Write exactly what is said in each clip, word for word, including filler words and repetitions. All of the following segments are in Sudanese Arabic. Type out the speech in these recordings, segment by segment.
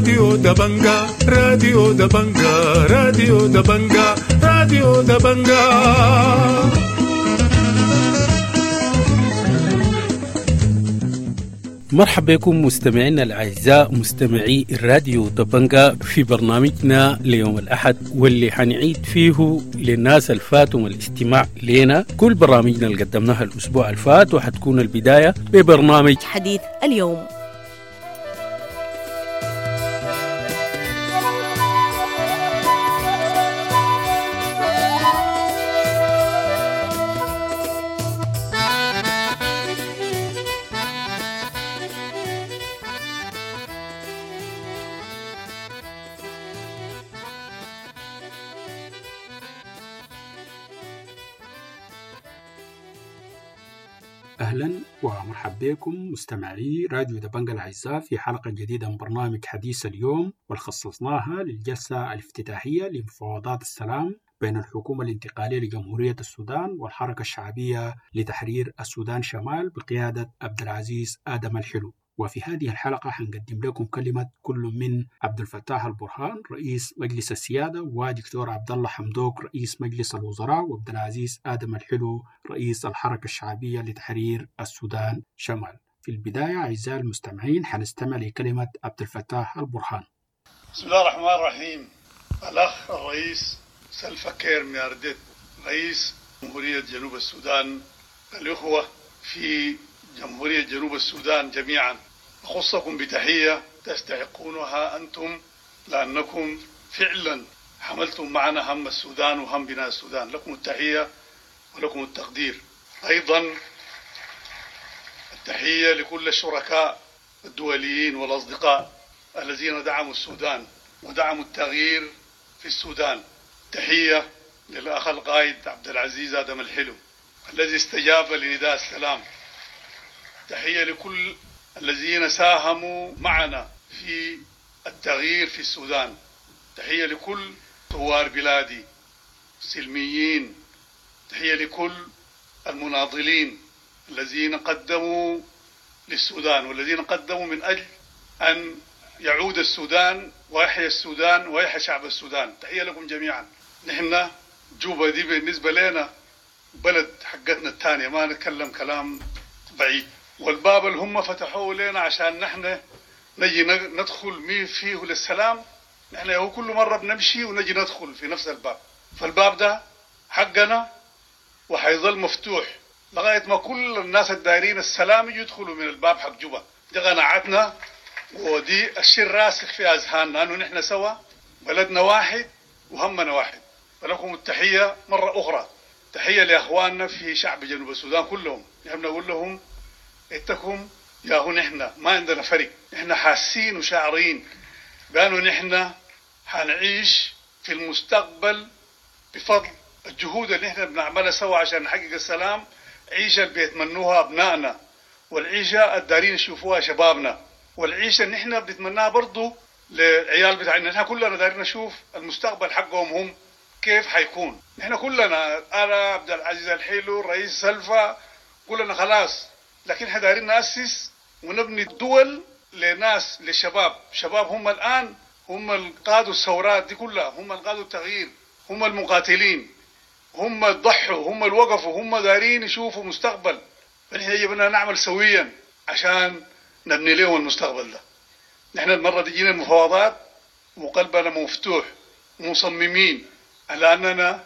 راديو دبنجا راديو دبنجا راديو دبنجا راديو دبنجا. مرحبا بكم مستمعينا الأعزاء مستمعي الراديو دبنجا في برنامجنا ليوم الأحد، واللي حنعيد فيه للناس الفاتهم الاستماع لنا كل برامجنا اللي قدمناها الأسبوع الفات، وحتكون البداية ببرنامج حديث اليوم. أهلا ومرحبا بكم مستمعي راديو دبنجا الأعزاء في حلقة جديدة من برنامج حديث اليوم، والخصصناها للجلسة الافتتاحية لمفاوضات السلام بين الحكومة الانتقالية لجمهورية السودان والحركة الشعبية لتحرير السودان شمال بقيادة عبد العزيز آدم الحلو. وفي هذه الحلقة حنقدم لكم كلمة كل من عبد الفتاح البرهان رئيس مجلس السيادة، ودكتور عبد الله حمدوك رئيس مجلس الوزراء، وعبد العزيز آدم الحلو رئيس الحركة الشعبية لتحرير السودان شمال. في البداية أعزائي المستمعين حنستمع لكلمة عبد الفتاح البرهان. بسم الله الرحمن الرحيم. الأخ الرئيس سلفا كير ميارديت رئيس جمهورية جنوب السودان، الإخوة في جمهورية جنوب السودان جميعا، أخصكم بتحية تستحقونها أنتم لأنكم فعلا حملتم معنا هم السودان وهم بناء السودان. لكم التحية ولكم التقدير. أيضا التحية لكل الشركاء الدوليين والأصدقاء الذين دعموا السودان ودعموا التغيير في السودان. تحية للأخ القائد عبد العزيز آدم الحلو الذي استجاب لنداء السلام. تحية لكل الذين ساهموا معنا في التغيير في السودان. تحية لكل ثوار بلادي سلميين. تحية لكل المناضلين الذين قدموا للسودان والذين قدموا من أجل أن يعود السودان ويحيا السودان ويحيا شعب السودان. تحية لكم جميعا. نحن جوبا دي بالنسبة لنا بلد حقتنا الثانية، ما نتكلم كلام بعيد. والباب اللي هم فتحوه لنا عشان نحن نجي ندخل مين فيه للسلام، نحن هو كل مرة بنمشي ونجي ندخل في نفس الباب. فالباب ده حقنا وحيظل مفتوح لغاية ما كل الناس الدايرين السلام يدخلوا من الباب حق جوبا. دي قناعتنا ودي الشيء الراسخ في أذهاننا، أنه نحن سوا بلدنا واحد وهمنا واحد. فلكم التحية مرة أخرى. تحية لأخواننا في شعب جنوب السودان كلهم. نحن نقول لهم اتكم يا هو، نحن ما عندنا فرق، نحن حاسين وشاعرين بأنه نحن حنعيش في المستقبل بفضل الجهود اللي نحن بنعملها سوا عشان نحقق السلام. عيشة اللي بيتمنوها أبنائنا، والعيشة الدارين يشوفوها شبابنا، والعيشة اللي نحن بنتمناها برضو للعيال بتاعنا. نحن كلنا دارين نشوف المستقبل حقهم هم كيف حيكون. نحن كلنا، أنا عبد العزيز الحلو رئيس سلفا، كلنا خلاص، لكن احنا دايرين نأسس ونبني دول لناس، للشباب. شباب هم الآن هم اللي قادوا الثورات دي كلها، هم اللي قادوا التغيير، هم المقاتلين، هم اللي ضحوا، هم اللي وقفوا، هم دايرين يشوفوا مستقبل. فنحن يجب أن نعمل سويا عشان نبني لهم المستقبل ده. نحن المرة دي جينا المفاوضات وقلبنا مفتوح ومصممين على أننا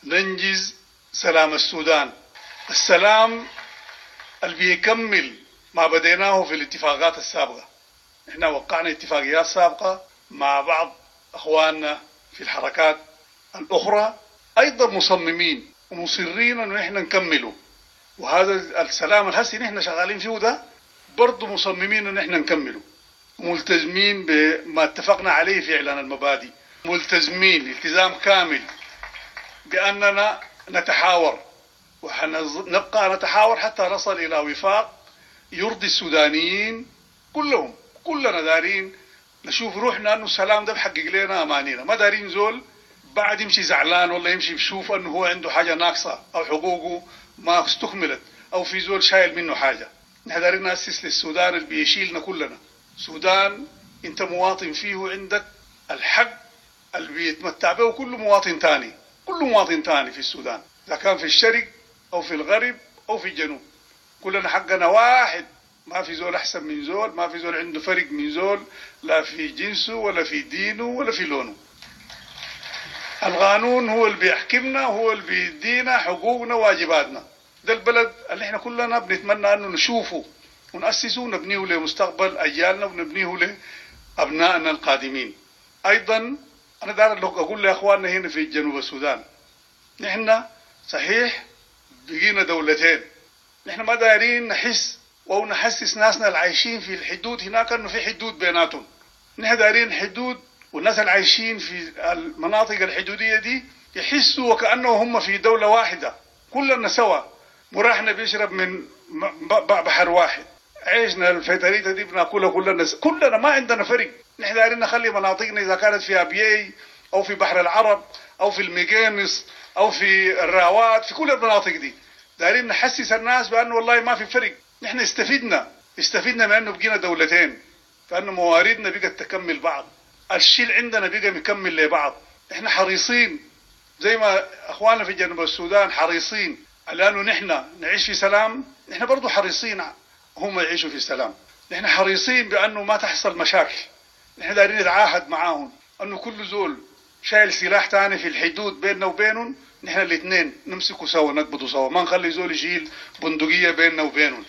ننجز سلام السودان، السلام اللي بيكمل ما بديناه في الاتفاقات السابقة. احنا وقعنا اتفاقيات سابقة مع بعض اخواننا في الحركات الاخرى، ايضا مصممين ومصرين انه احنا نكمله. وهذا السلام الهسي نحن شغالين فيه ده برضه مصممين ان احنا نكمله، وملتزمين بما اتفقنا عليه في اعلان المبادئ، ملتزمين التزام كامل باننا نتحاور، وحنبقى نتحاور حتى نصل إلى وفاق يرضي السودانيين كلهم. كلنا دارين نشوف روحنا أنه السلام ده بحقق لنا أمانينا، ما دارين زول بعد يمشي زعلان ولا يمشي بشوف أنه هو عنده حاجة ناقصة أو حقوقه ما استكملت أو في زول شايل منه حاجة. نحن دارين نأسس للسودان اللي بيشيلنا كلنا، سودان انت مواطن فيه عندك الحق اللي بيتمتع به كل مواطن تاني، كل مواطن تاني في السودان، اذا كان في الشرق او في الغرب او في الجنوب، كلنا حقنا واحد، ما في زول احسن من زول، ما في زول عنده فرق من زول، لا في جنسه ولا في دينه ولا في لونه. القانون هو اللي بيحكمنا، هو اللي بيدينا حقوقنا وواجباتنا. ده البلد اللي احنا كلنا بنتمنى انه نشوفه ونأسسه ونبنيه لمستقبل اجيالنا ونبنيه لابنائنا القادمين. ايضا انا داير اقول لاخواننا هنا في جنوب السودان، نحن صحيح بقينا دولتين، نحن ما دايرين نحس او نحسس ناسنا العايشين في الحدود هناك انه في حدود بيناتهم. نحن دايرين حدود، والناس العايشين في المناطق الحدودية دي يحسوا وكأنه هم في دولة واحدة، كلنا سوا، مراحنا بيشرب من بحر واحد، عيشنا الفتريته دي بناكلها كلنا كلنا، ما عندنا فرق. نحن دايرين نخلي مناطقنا اذا كانت في ابيي او في بحر العرب او في المقينص او في الراوات، في كل المناطق دي دايرين نحسس الناس بانه والله ما في فرق. نحن استفدنا استفدنا من انه بقينا دولتين، فانه مواردنا بقت تكمل بعض، الشيء اللي عندنا بقى مكمل لبعض. احنا حريصين زي ما اخواننا في جنوب السودان حريصين على انه نحن نعيش في سلام، نحن برضو حريصين هم يعيشوا في سلام. نحن حريصين بانه ما تحصل مشاكل، نحن دايرين نتعاهد معاهم انه كل زول شايل سلاح تاني في الحدود بيننا وبينهم، نحن الاثنين نمسكوا سوا نقبضوا سوا، ما نخلي زول يشيل بندقية بيننا وبينهم.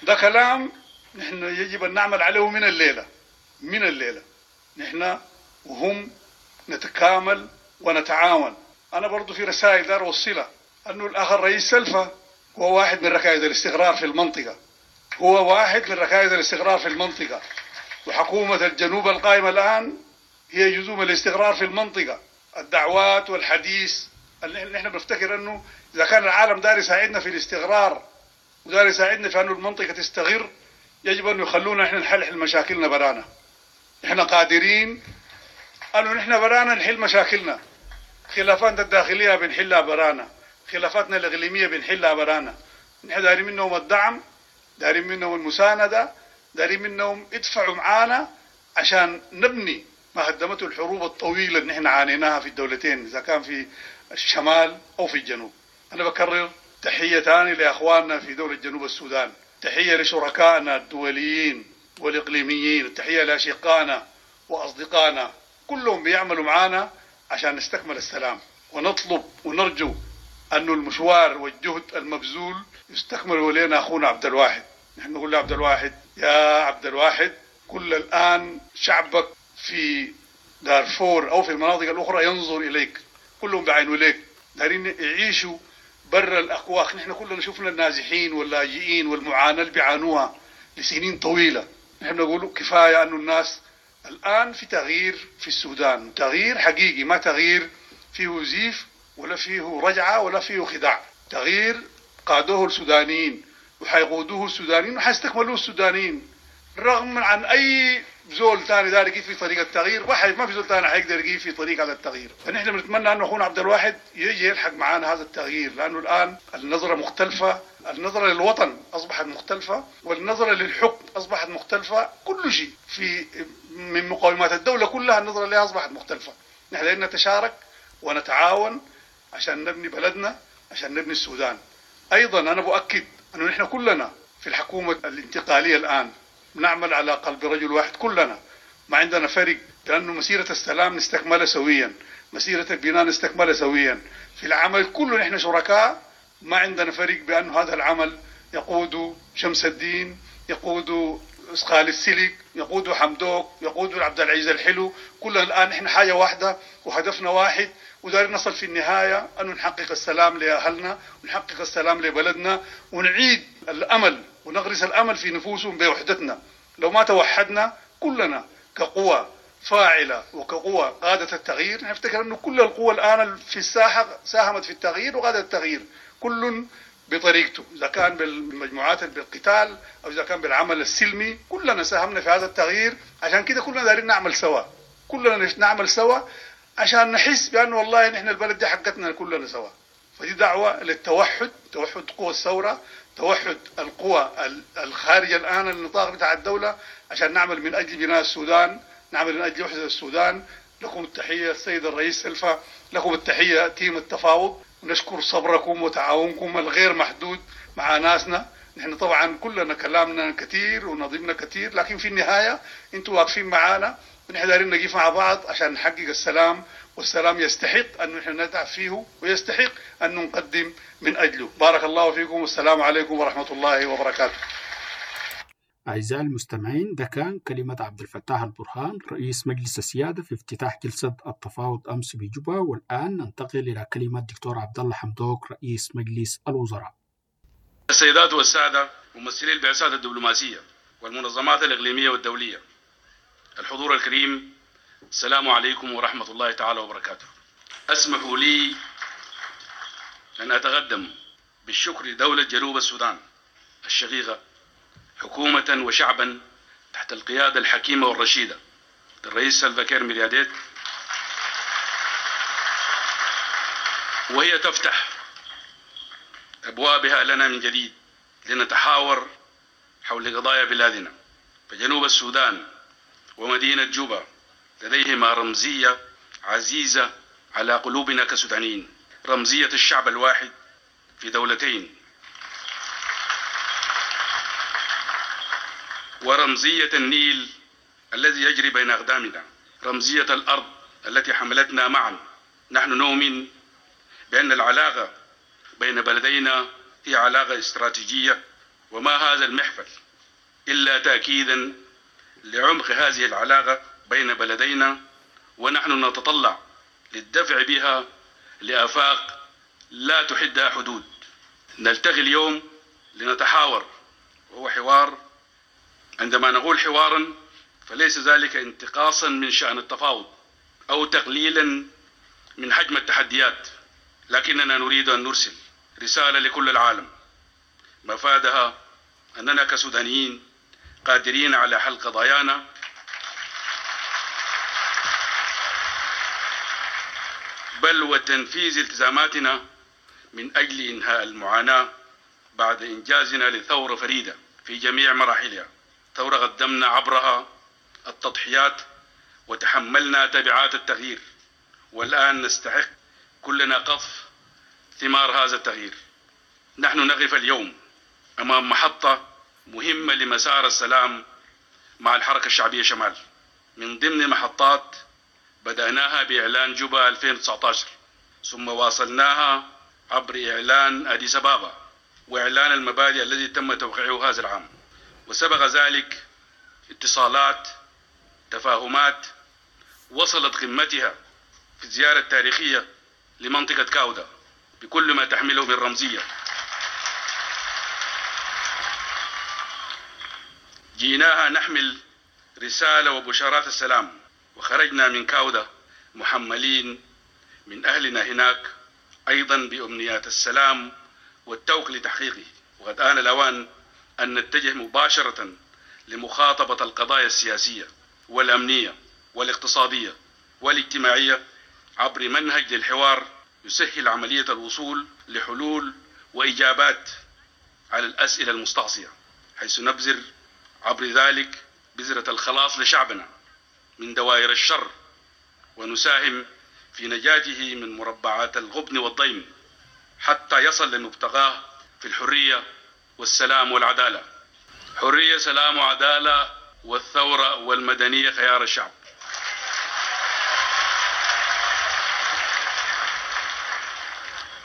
ده كلام نحن يجب ان نعمل عليه من الليلة، من الليلة نحن وهم نتكامل ونتعاون. انا برضو في رسائل دار اوصلها، انه الاخ الرئيس سلفا هو واحد من ركائز الاستقرار في المنطقة، هو واحد من ركائز الاستقرار في المنطقة، وحكومة الجنوب القائمة الان هي جزء من الاستقرار في المنطقة. الدعوات والحديث اللي نحن بنفتكر انه اذا كان العالم دار يساعدنا في الاستقرار ودار يساعدنا في انه المنطقة تستقر، يجب ان يخلونا احنا نحل مشاكلنا برانا. احنا قادرين انه نحن برانا نحل مشاكلنا، خلافاتنا الداخلية بنحلها برانا، خلافاتنا الاقليمية بنحلها برانا. نحن دارين منهم الدعم، دارين منهم المساندة، دارين منهم يدفعوا معانا عشان نبني ما هدمته الحروب الطويلة اللي نحن عانيناها في الدولتين، اذا كان في الشمال او في الجنوب. انا بكرر تحية ثانية لاخواننا في دولة جنوب السودان، تحية لشركائنا الدوليين والاقليميين، تحية لاشقائنا واصدقائنا، كلهم بيعملوا معانا عشان نستكمل السلام. ونطلب ونرجو أن المشوار والجهد المبذول يستكمل ولينا أخونا عبد الواحد. نحن نقول لعبد الواحد، يا عبد الواحد، كل الآن شعبك في دارفور أو في المناطق الأخرى ينظر إليك، كلهم بعينوا إليك، دارين يعيشوا برا الأكواخ. نحن كلنا شفنا النازحين واللاجئين والمعاناة اللي بيعانوها لسنين طويلة. نحن نقول كفاية أنه الناس الآن في تغيير في السودان، تغيير حقيقي، ما تغيير فيه زيف ولا فيه رجعة ولا فيه خداع، تغيير قادوه السودانيين وحيقودوه السودانيين وحيستكملوه السودانيين، رغم عن أي زول ثاني دار يقيف في طريق التغيير، واحد ما في زول ثاني حيقدر يقيف في طريق هذا التغيير. فنحن بنتمنى أن أخونا عبد الواحد يجي يلحق معانا هذا التغيير، لأنه الآن النظرة مختلفة، النظرة للوطن أصبحت مختلفة، والنظرة للحكم أصبحت مختلفة، كل شيء في من مقومات الدولة كلها النظرة لها أصبحت مختلفة. نحن لازم نتشارك ونتعاون عشان نبني بلدنا، عشان نبني السودان. أيضا أنا بؤكد أنه نحن كلنا في الحكومة الانتقالية الآن نعمل على قلب رجل واحد، كلنا ما عندنا فرق، لأنه مسيرة السلام نستكملها سويا، مسيرة البناء نستكملها سويا، في العمل كله نحن شركاء، ما عندنا فرق بأنه هذا العمل يقود شمس الدين، يقود خالد السلك، يقود حمدوك، يقود عبد العزيز الحلو، كلنا الآن نحن حاجة واحدة وهدفنا واحد، ودارين نصل في النهاية أن نحقق السلام لأهلنا ونحقق السلام لبلدنا ونعيد الأمل ونغرس الأمل في نفوسهم بوحدتنا. لو ما توحدنا كلنا كقوة فاعلة وكقوة قادة التغيير، نفتكر أنه كل القوى الآن في الساحة ساهمت في التغيير وقادت التغيير، كل بطريقته، إذا كان بالمجموعات بالقتال أو إذا كان بالعمل السلمي، كلنا ساهمنا في هذا التغيير. عشان كده كلنا دارين نعمل سوا، كلنا نعمل سوا عشان نحس بأنه والله نحن البلد دي حقتنا كلنا سوا. فدي دعوة للتوحد، توحد قوى الثورة، توحد القوى الخارجة الآن النطاق بتاع الدولة، عشان نعمل من أجل بناء السودان، نعمل من أجل وحدة السودان. لكم التحية السيد الرئيس سلفا، لكم التحية تيم التفاوض، ونشكر صبركم وتعاونكم الغير محدود مع ناسنا. نحن طبعا كلنا كلامنا كثير ونظيمنا كثير، لكن في النهاية انتوا واقفين معانا، ونحن دايرين نقيف مع بعض عشان نحقق السلام، والسلام يستحق أن نحن نتعب فيه ويستحق أن نقدم من أجله. بارك الله فيكم، والسلام عليكم ورحمة الله وبركاته. أعزائي المستمعين، ده كان كلمة عبد الفتاح البرهان رئيس مجلس السيادة في افتتاح جلسة التفاوض أمس بجوبا. والآن ننتقل إلى كلمة الدكتور عبد الله حمدوك رئيس مجلس الوزراء. السيدات والسادة ممثلي البعثات الدبلوماسية والمنظمات الإقليمية والدولية، الحضور الكريم، السلام عليكم ورحمة الله تعالى وبركاته. أسمحوا لي أن أتقدم بالشكر لدولة جنوب السودان الشقيقة حكومة وشعبا تحت القيادة الحكيمة والرشيدة للرئيس سلفا كير ميرياديت، وهي تفتح أبوابها لنا من جديد لنتحاور حول قضايا بلادنا. فجنوب السودان ومدينة جوبا لديهما رمزية عزيزة على قلوبنا كسودانيين، رمزية الشعب الواحد في دولتين، ورمزية النيل الذي يجري بين أقدامنا، رمزية الأرض التي حملتنا معا. نحن نؤمن بأن العلاقة بين بلدينا هي علاقة استراتيجية، وما هذا المحفل إلا تأكيدا لعمق هذه العلاقة بين بلدينا، ونحن نتطلع للدفع بها لآفاق لا تحدها حدود. نلتقي اليوم لنتحاور، وهو حوار. عندما نقول حوارا فليس ذلك انتقاصا من شأن التفاوض أو تقليلا من حجم التحديات، لكننا نريد أن نرسل رسالة لكل العالم مفادها أننا كسودانيين قادرين على حل قضايانا بل وتنفيذ التزاماتنا من أجل إنهاء المعاناة بعد إنجازنا لثورة فريدة في جميع مراحلها، ثورة قدمنا عبرها التضحيات وتحملنا تبعات التغيير، والآن نستحق كلنا قطف ثمار هذا التغيير. نحن نقف اليوم أمام محطة مهمة لمسار السلام مع الحركة الشعبية شمال، من ضمن محطات بدأناها بإعلان جوبا ألفين وتسعة عشر، ثم واصلناها عبر إعلان أديس أبابا وإعلان المبادئ الذي تم توقيعه هذا العام، وسبق ذلك اتصالات تفاهمات وصلت قمتها في الزيارة التاريخية لمنطقة كاودا بكل ما تحمله من رمزية. جيناها نحمل رسالة وبشارات السلام، وخرجنا من كاودا محملين من أهلنا هناك أيضا بأمنيات السلام والتوق لتحقيقه. وقد آن الأوان أن نتجه مباشرة لمخاطبة القضايا السياسية والأمنية والاقتصادية والاجتماعية عبر منهج للحوار يسهل عملية الوصول لحلول وإجابات على الأسئلة المستعصية، حيث نبذر عبر ذلك بذرة الخلاص لشعبنا من دوائر الشر، ونساهم في نجاته من مربعات الغبن والضيم حتى يصل لمبتغاه في الحرية والسلام والعدالة. حرية، سلام، وعدالة، والثورة والمدنية خيار الشعب.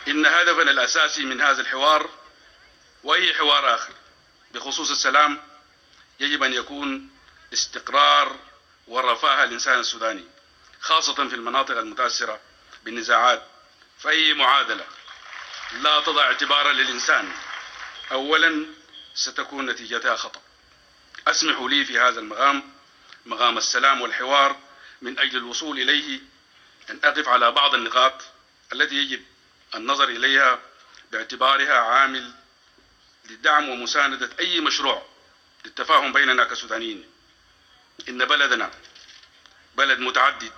إن هدفنا الأساسي من هذا الحوار وأي حوار آخر بخصوص السلام يجب أن يكون استقرار ورفاه الإنسان السوداني، خاصة في المناطق المتأثرة بالنزاعات. فأي معادلة لا تضع اعتبارا للإنسان أولا ستكون نتيجتها خطأ. أسمحوا لي في هذا المقام، مقام السلام والحوار، من أجل الوصول إليه أن أقف على بعض النقاط التي يجب النظر إليها باعتبارها عامل لدعم ومساندة أي مشروع للتفاهم بيننا كسودانيين. إن بلدنا بلد متعدد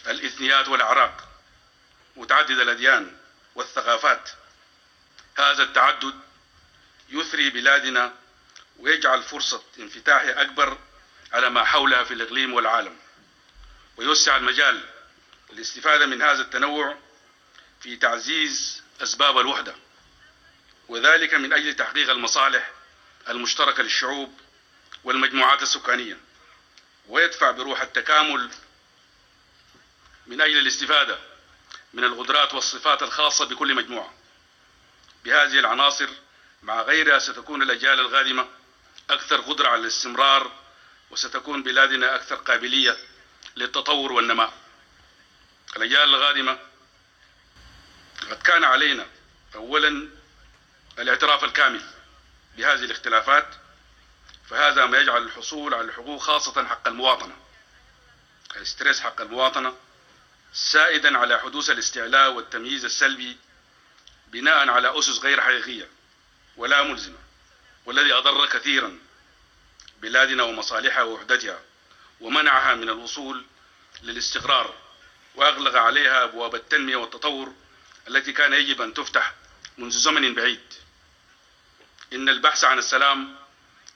الإثنيات والأعراق، متعدد الأديان والثقافات. هذا التعدد يثري بلادنا ويجعل فرصة انفتاحها أكبر على ما حولها في الإقليم والعالم، ويوسع المجال للاستفادة من هذا التنوع في تعزيز أسباب الوحدة، وذلك من أجل تحقيق المصالح المشتركة للشعوب والمجموعات السكانية، ويدفع بروح التكامل من أجل الاستفادة من القدرات والصفات الخاصة بكل مجموعة. بهذه العناصر مع غيرها ستكون الأجيال القادمة أكثر قدرة على الاستمرار، وستكون بلادنا أكثر قابلية للتطور والنماء. الأجيال القادمة قد كان علينا أولا الاعتراف الكامل بهذه الاختلافات، فهذا ما يجعل الحصول على الحقوق خاصة حق المواطنة، الاسترس حق المواطنة، سائدا على حدوث الاستعلاء والتمييز السلبي بناء على أسس غير حقيقية ولا ملزمة، والذي أضر كثيرا بلادنا ومصالحها ووحدتها، ومنعها من الوصول للاستقرار، وأغلق عليها أبواب التنمية والتطور التي كان يجب أن تفتح منذ زمن بعيد. إن البحث عن السلام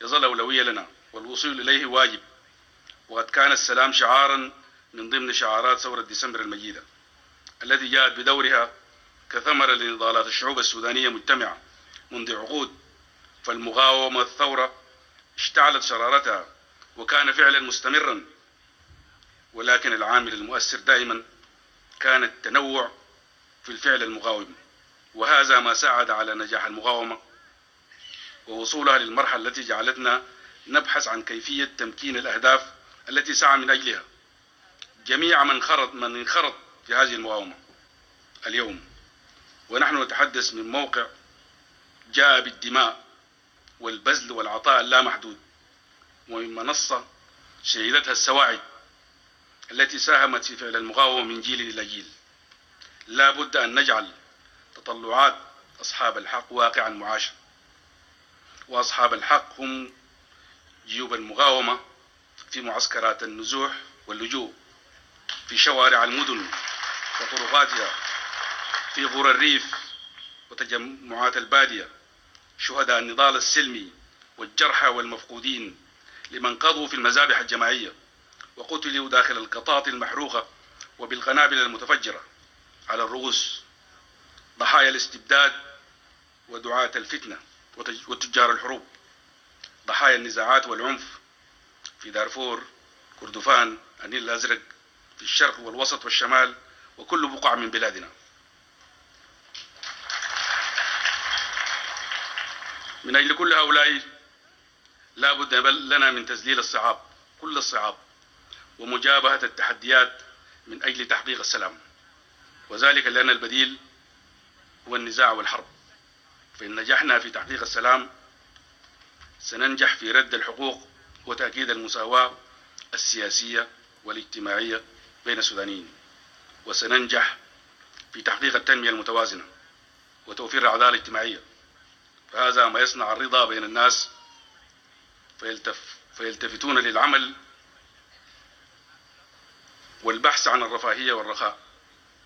يظل أولوية لنا، والوصول إليه واجب، وقد كان السلام شعارا من ضمن شعارات ثورة ديسمبر المجيدة التي جاءت بدورها كثمرة لنضالات الشعوب السودانية مجتمعة منذ عقود. فالمقاومة الثورة اشتعلت شرارتها وكان فعلا مستمرا، ولكن العامل المؤثر دائما كان التنوع في الفعل المقاوم، وهذا ما ساعد على نجاح المقاومة ووصولها للمرحلة التي جعلتنا نبحث عن كيفية تمكين الأهداف التي سعى من أجلها جميع من خرط من انخرط في هذه المقاومة اليوم. ونحن نتحدث من موقع جاء بالدماء والبذل والعطاء اللامحدود، ومن منصة شهدتها السواعد التي ساهمت في فعل المقاومة من جيل إلى جيل. لا بد أن نجعل تطلعات أصحاب الحق واقعا معاشا، وأصحاب الحق هم جيوب المقاومة في معسكرات النزوح واللجوء، في شوارع المدن وطرقاتها، في قرى الريف وتجمعات البادية، شهداء النضال السلمي والجرحى والمفقودين لمن قضوا في المذابح الجماعية وقتلوا داخل القطاط المحروقة وبالقنابل المتفجرة على الرؤوس، ضحايا الاستبداد ودعاة الفتنة وتجار الحروب، ضحايا النزاعات والعنف في دارفور، كردفان، النيل الأزرق، في الشرق والوسط والشمال وكل بقعة من بلادنا. من أجل كل هؤلاء لا بد لنا من تذليل الصعاب، كل الصعاب، ومجابهة التحديات من أجل تحقيق السلام، وذلك لأن البديل هو النزاع والحرب. فإن نجحنا في تحقيق السلام سننجح في رد الحقوق وتأكيد المساواة السياسية والاجتماعية بين السودانيين، وسننجح في تحقيق التنمية المتوازنة وتوفير العدالة الاجتماعية. فهذا ما يصنع الرضا بين الناس فيلتف فيلتفتون للعمل والبحث عن الرفاهية والرخاء،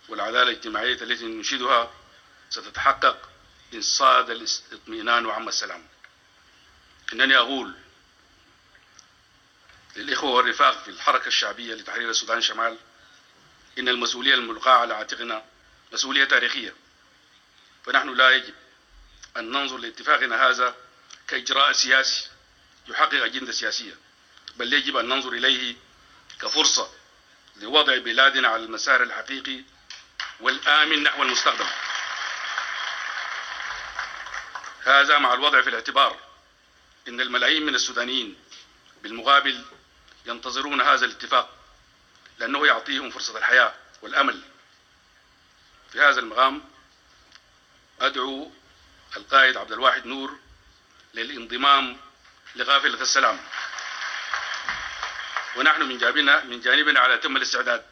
والعدالة الاجتماعية التي ننشدها ستتحقق إن صاد الاطمئنان وعم السلام. إنني أقول للإخوة والرفاق في الحركة الشعبية لتحرير السودان شمال إن المسؤولية الملقاة على عاتقنا مسؤولية تاريخية، فنحن لا يجب أن ننظر لاتفاقنا هذا كإجراء سياسي يحقق أجندة سياسية، بل يجب أن ننظر إليه كفرصة لوضع بلادنا على المسار الحقيقي والآمن نحو المستقبل. هذا مع الوضع في الاعتبار إن الملايين من السودانيين بالمقابل ينتظرون هذا الاتفاق لأنه يعطيهم فرصة الحياة والأمل. في هذا المقام أدعو القائد عبد الواحد نور للانضمام لقافلة السلام، ونحن من جانبنا من جانبنا على أتم الاستعداد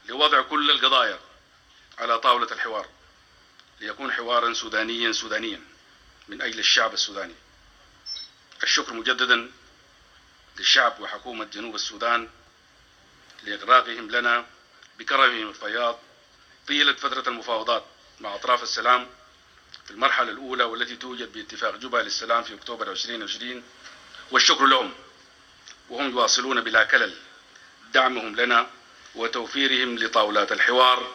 لوضع كل القضايا على طاولة الحوار ليكون حوارا سودانيا سودانيا من أجل الشعب السوداني. الشكر مجددا للشعب وحكومة جنوب السودان لإغراقهم لنا بكرمهم الفياض طيلة فترة المفاوضات مع أطراف السلام في المرحلة الأولى والتي توجد باتفاق جوبا للسلام في أكتوبر ألفين وعشرين، والشكر لهم، وهم يواصلون بلا كلل دعمهم لنا وتوفيرهم لطاولات الحوار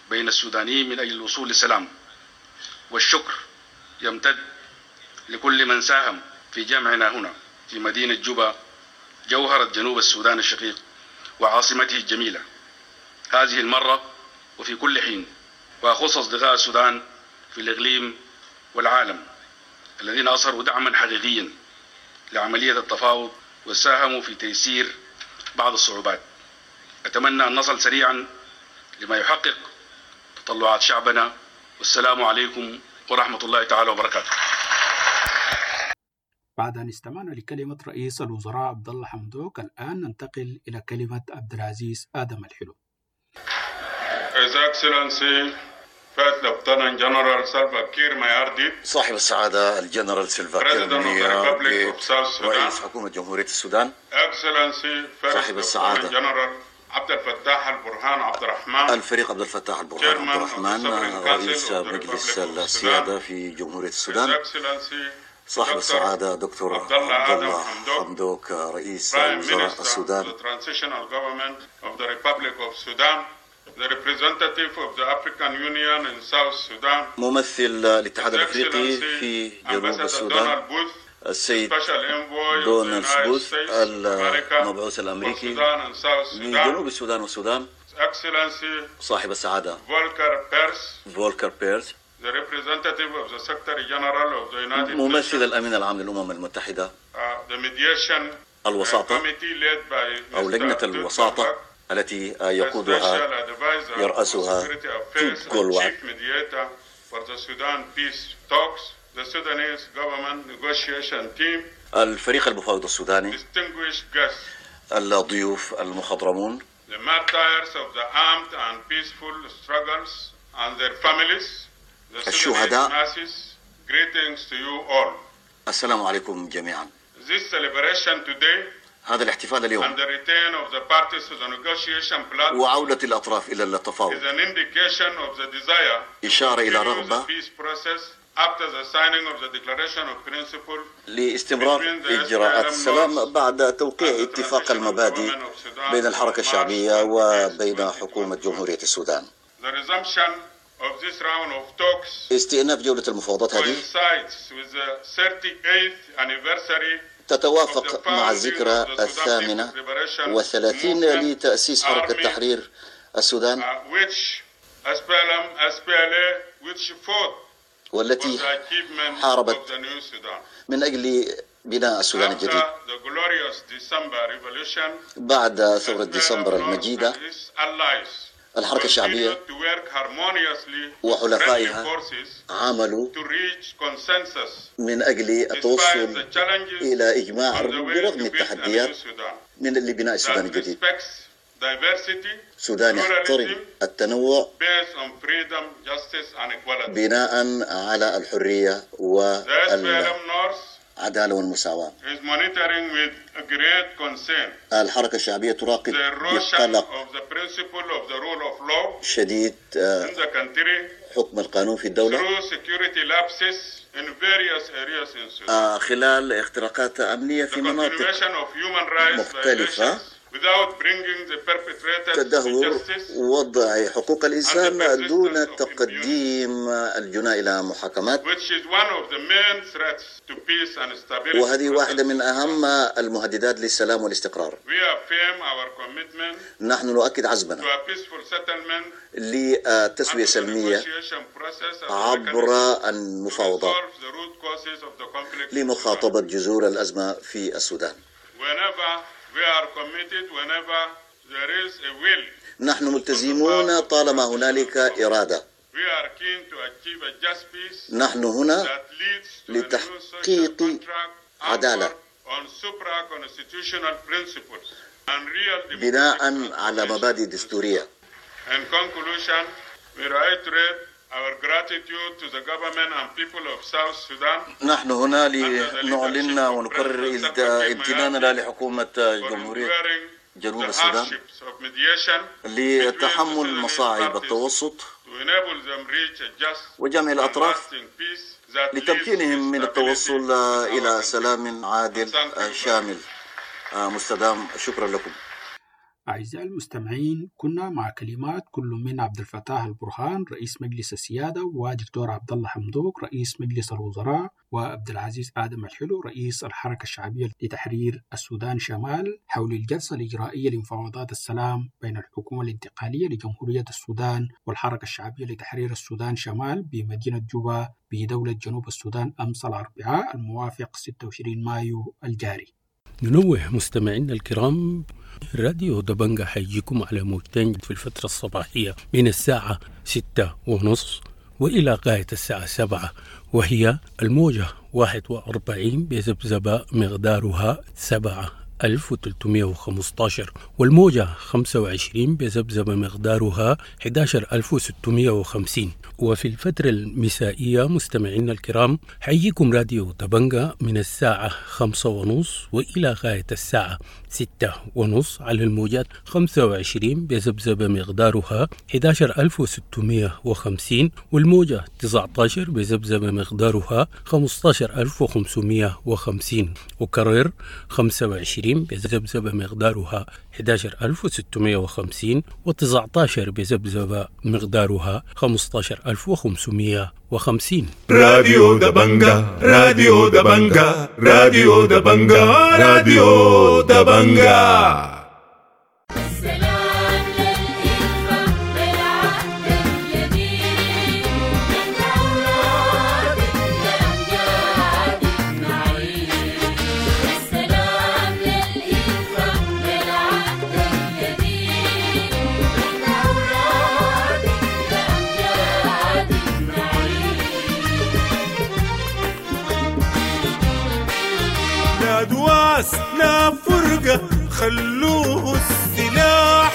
بين السودانيين من أجل الوصول للسلام. والشكر يمتد لكل من ساهم في جمعنا هنا في مدينة جوبا، جوهرة جنوب السودان الشقيق وعاصمته الجميلة، هذه المرة وفي كل حين، وأخص أصدقاء السودان في الإقليم والعالم الذين أظهروا دعما حقيقيا لعملية التفاوض وساهموا في تيسير بعض الصعوبات. أتمنى أن نصل سريعا لما يحقق تطلعات شعبنا، والسلام عليكم ورحمة الله تعالى وبركاته. بعد أن استمعنا لكلمة رئيس الوزراء عبد الله حمدوك، الآن ننتقل إلى كلمة عبد العزيز آدم الحلو. His Excellency First Lieutenant General Salva Kiir Mayardit، صاحب السعادة الجنرال سلفا كير President of the Republic ميارديت of South Sudan، رئيس حكومة جمهورية السودان، Excellency First صاحب Lieutenant السعادة General عبد الفتاح البرهان عبد الرحمن، الفريق عبد الفتاح البرهان عبد Chairman of the الرحمن Sovereign Council رئيس of the Republic مجلس of Sudan، السيادة في جمهورية His السودان، Excellency صاحب Doctor السعادة دكتور عبد الله عبد آدم الله حمدوك، حمدوك رئيس Prime وزراء Minister of السودان، the Transitional Government of the Republic of Sudan, the representative of the African Union in South Sudan, ممثل الاتحاد His الأفريقي Excellency في جنوب Ambassador السودان، Donald Booth, السيد Special Envoy of the دونالد United بوث States of America المبعوث for الأمريكي Sudan and South Sudan, لجنوب السودان والسودان، His Excellency صاحب السعادة Volker Perthes, فولكر بيرز the representative of the Secretary General of the United ممثل Nations, الأمين العام للأمم المتحدة، uh, the mediation uh, الوساطة committee led by أو لجنة Mister Tut الوساطة Gulwak, التي the يقودها special advisor for يرأسها security توت affairs and جولواك، chief mediator for the Sudan peace talks, the Sudanese government negotiation team, الفريق المفاوض السوداني، distinguished guests, الضيوف المخضرمون، the martyrs of the armed and peaceful struggles and their families, the Sudanese الشهداء، masses, greetings to you all. السلام عليكم جميعا. This celebration today هذا الاحتفال اليوم and the return of the parties to the negotiation platform وعودة الأطراف إلى التفاوض is an indication of the desire to إشارة إلى continue the رغبة peace process after the signing of the Declaration of Principle لاستمرار between the إجراءات S P L M السلام North بعد توقيع and the اتفاق transitional المبادئ government of Sudan بين الحركة on March الشعبية twenty-eighth, وبين twenty حكومة twenty-one. جمهورية السودان. The resumption of this round of talks استئناف جولة المفاوضات هذه coincides with the thirty-eighth anniversary of the تتوافق مع founding الذكرى of the Sudan People's الثامنة Liberation والثلاثين Movement لتأسيس حركة Army, تحرير السودان uh, which S P L M, S P L A, which fought for والتي the achievement of حاربت the new Sudan. من أجل بناء السودان After الجديد. the glorious December revolution, بعد ثورة S P L M ديسمبر North المجيدة and its allies الحركة الشعبية continued to work harmoniously with friendly وحلفائها forces عملوا to reach consensus من أجل despite the التوصل challenges إلى إجماع on the way برغم to build a new التحديات Sudan من لبناء السودان that الجديد. respects diversity, سودان يحترم pluralism, التنوع based on freedom, justice, and equality. بناء على الحرية The S P L M North والعدالة والمساواة. is monitoring with great concern الحركة الشعبية تراقب the erosion بقلق of the principle of the rule of law شديد آه، in the country حكم القانون في الدولة through security lapses in various areas in Sudan. آه، خلال اختراقات أمنية The في مناطق continuation of human rights مختلفة violations without bringing the perpetrators to تدهور justice وضع حقوق and the الإنسان دون persistence of impunity, تقديم الجناة إلى محاكمات، which is one of the main threats to peace and stability وهذه process واحدة in من Sudan. أهم المهددات للسلام والاستقرار. We affirm our commitment نحن نؤكد to عزمنا a peaceful settlement لتسوية and to the سلمية negotiation process as a عبر mechanism to المفاوضات resolve the root causes of the conflict in Sudan. لمخاطبة جذور الأزمة في السودان. Whenever we are committed, whenever there is a will نحن on the part ملتزمون of the طالما transitional هنالك government. إرادة. We are keen to achieve a just peace نحن هنا that leads to a new social لتحقيق contract عدالة anchored on supra-constitutional principles and real democratic بناء على transformation مبادئ in دستورية. Sudan. In conclusion, we reiterate our gratitude to the government and people of South Sudan نحن هنا under the لنعلن leadership of ونكرر President Salva Kiir امتناننا Mayardit لحكومة for جمهورية enduring جنوب the السودان hardships of mediation between the لتحمل Sudanese مصاعب parties التوسط to وجمع الأطراف لتمكينهم من التوصل إلى سلام عادل شامل مستدام. شكرا لكم. أعزائي المستمعين، كنا مع كلمات كل من عبد الفتاح البرهان رئيس مجلس السيادة، ودكتور عبد الله حمدوك رئيس مجلس الوزراء، وعبد العزيز آدم الحلو رئيس الحركة الشعبية لتحرير السودان شمال، حول الجلسة الإجرائية لمفاوضات السلام بين الحكومة الانتقالية لجمهورية السودان والحركة الشعبية لتحرير السودان شمال بمدينة جوبا بدولة جنوب السودان أمس الأربعاء الموافق ستة وعشرين مايو الجاري. ننوه مستمعينا الكرام، راديو دبنجة حيجيكم على موجتين في الفترة الصباحية من الساعة ستة ونص وإلى غاية الساعة سبعة، وهي الموجة واحد وأربعين بذبذبة مقدارها سبعة ألف وثلاثمائة وخمسة عشر، والموجة خمسة وعشرين بذبذبة مقدارها أحد عشر ألف وستمائة وخمسين. وفي الفترة المسائية مستمعينا الكرام حيجيكم راديو دبنجة من الساعة خمسة ونص وإلى غاية الساعة ستة ونص على الموجات خمسة وعشرين بذبذبة مقدارها أحد عشر ألف وستمائة وخمسين، والموجة تسعة عشر بذبذبة مقدارها خمسة عشر ألف وخمسمائة وخمسين. وكرر، خمسة وعشرين بذبذبة مقدارها أحد عشر ألف وستمائة وخمسين، وتسعة عشر بذبذبة مقدارها خمسة عشر ألف وخمسمائة وخمسين. راديو دبنجة، راديو دبنجة، راديو دبنجة، راديو دبنجة. السلام للإلفة بالعهد الجديد، من أولاد الأمجاد نعيد. السلام للإلفة بالعهد الجديد، من أولاد الأمجاد نعيد. لا دواس لا فرقة، خلوه السلاح.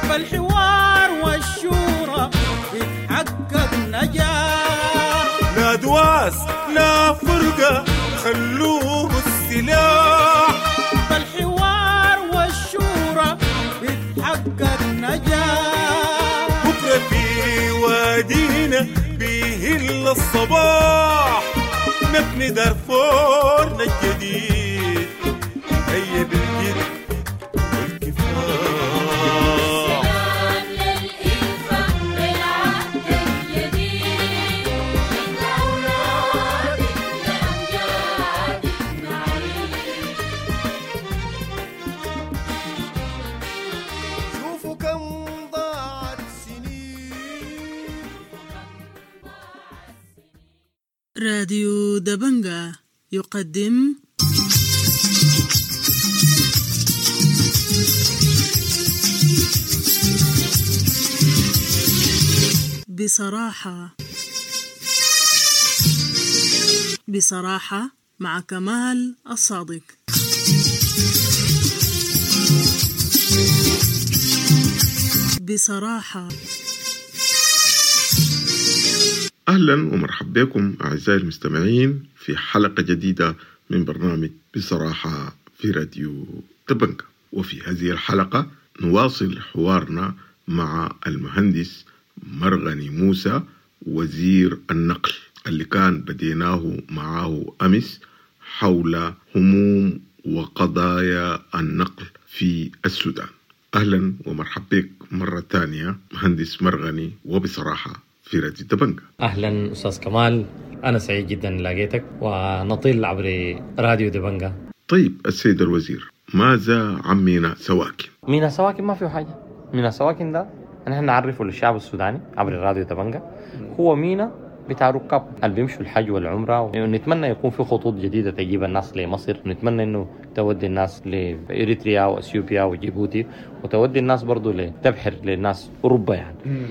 فالحوار والشورى يتحقق نجاح. لا دواس لا فرقة، خلوه السلاح. فالحوار والشورى يتحقق نجاح. بكرة في وادينا بيهل الصباح، نبني دارفورنا الجديد، هيا بالجد والكفاح. السلام للإلفة بالعهد الجديد، من أولاد الأمجاد نعيد. شوفوا كم ضاعت سنين. راديو دبنجة يقدم بصراحة، بصراحة مع كمال الصادق. بصراحة. أهلا ومرحبا بكم أعزائي المستمعين في حلقة جديدة من برنامج بصراحة في راديو دبنجة. وفي هذه الحلقة نواصل حوارنا مع المهندس مرغني موسى وزير النقل اللي كان بديناه معه أمس حول هموم وقضايا النقل في السودان. أهلا ومرحبا بك مرة ثانية مهندس مرغني، وبصراحة في راديو دبنجة. اهلا استاذ كمال، انا سعيد جدا لقيتك ونطل عبر راديو دبنجة. طيب السيد الوزير، ماذا عن ميناء سواكن؟ ميناء سواكن ما فيه حاجه. ميناء سواكن ده نحن نعرفه للشعب السوداني عبر الراديو دبنجة، هو ميناء بتاع ركاب اللي بيمشوا الحج والعمرة، ونتمنى يكون في خطوط جديدة تجيب الناس لمصر، ونتمنى انه تودي الناس لإريتريا واثيوبيا وجيبوتي، وتودي الناس برضو لتبحر للناس اوروبا يعني.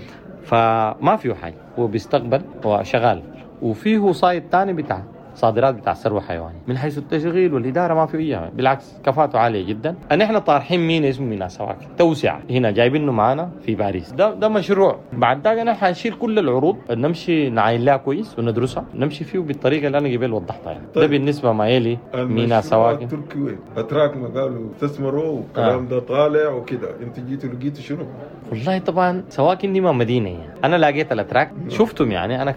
فما فيه حاجه، هو بيستقبل وشغال، وفيه side تاني بتاع صادرات بتاع ثروة حيوانية. من حيث التشغيل والادارة ما في اي، بالعكس كفاءته عالية جدا. نحن طارحين مينا اسمه مينا سواكن توسعه هنا جايبينه معانا في باريس، ده ده مشروع. بعد ذاك نحن حنشيل كل العروض، نمشي نعاين لها كويس وندرسها، نمشي فيه بالطريقة اللي انا قبل وضحتها يعني. طيب. ده بالنسبة ما يلي مينا سواكن. التركي وين؟ اتراك ما قالوا استثمروا والكلام آه. ده طالع وكده، انت جيتوا لقيتوا شنو؟ والله طبعا سواكن دي ما مدينة يعني. انا لقيت الاتراك شفتهم يعني انا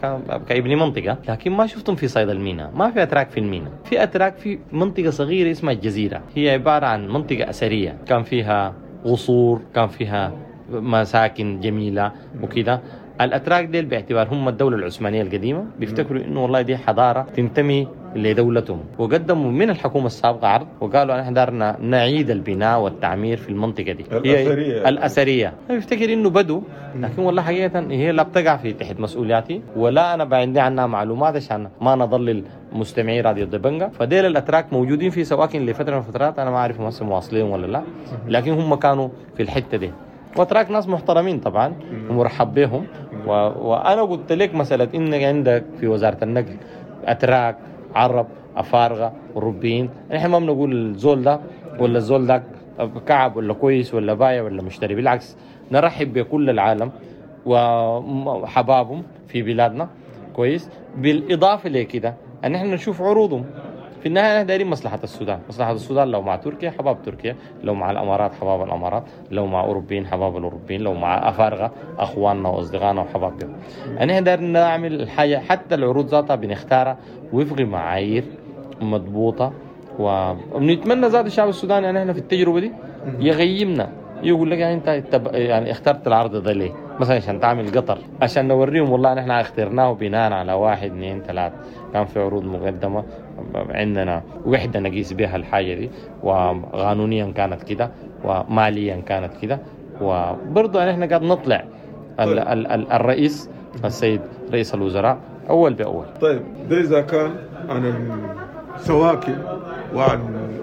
كابن منطقة، لكن ما شفتهم في صيد المينا، ما في اتراك في المينا، في اتراك في منطقة صغيرة اسمها الجزيرة، هي عبارة عن منطقة اثرية، كان فيها قصور، كان فيها مساكن جميلة وكده. الاتراك ديل باعتبار هم الدولة العثمانية القديمة بيفتكروا انه والله دي حضارة تنتمي لدولتهم، وقدموا من الحكومة السابقة عرض وقالوا نحن دارنا نعيد البناء والتعمير في المنطقة دي الاثرية. الاثرية بيفتكر انه بدو، لكن والله حقيقة هي لا بتقع في تحت مسؤولياتي ولا انا عندي عنها معلومات عشان ما نضلل مستمعي راديو دبنجا. فديل الاتراك موجودين في سواكن لفترة من الفترات، انا ما اعرف هم مواصلين ولا لا، لكن هم كانوا في الحتة دي. واتراك ناس محترمين طبعا ومرحب بهم. و... وانا قلت لك مسالة انك عندك في وزارة النقل اتراك، عرب، افارقه، اوروبيين، نحن ما بنقول الزول ده ولا الزول ده كعب ولا كويس ولا بايع ولا مشتري، بالعكس نرحب بكل العالم وحبابهم في بلادنا كويس. بالاضافة لكده ان نحن نشوف عروضهم. في النهاية نحن دايرين مصلحة السودان، مصلحة السودان لو مع تركيا حباب تركيا، لو مع الأمارات حباب الأمارات، لو مع أوروبيين حباب الأوروبيين، لو مع أفارقة أخواننا وأصدقائنا وحبابهم. نحن دايرين نعمل الحاجة، حتى العروض ذاتها بنختارها وفق معايير مضبوطة، وبنتمنى ذات الشعب السوداني يعني احنا في التجربة دي يغيمنا، يقول لك يعني انت يعني اخترت العرض ده ليه؟ مثلا عشان تعمل قطر، عشان نوريهم والله نحن اخترناه بناء على واحد اثنين ثلاثة، كان في عروض مقدمة عندنا وحدة نقيس بها الحاجة دي، وقانونيا كانت كده وماليا كانت كده. وبرضه نحن قاعد نطلع ال ال ال الرئيس السيد رئيس الوزراء أول بأول. طيب ده إذا كان عن السواكن وعن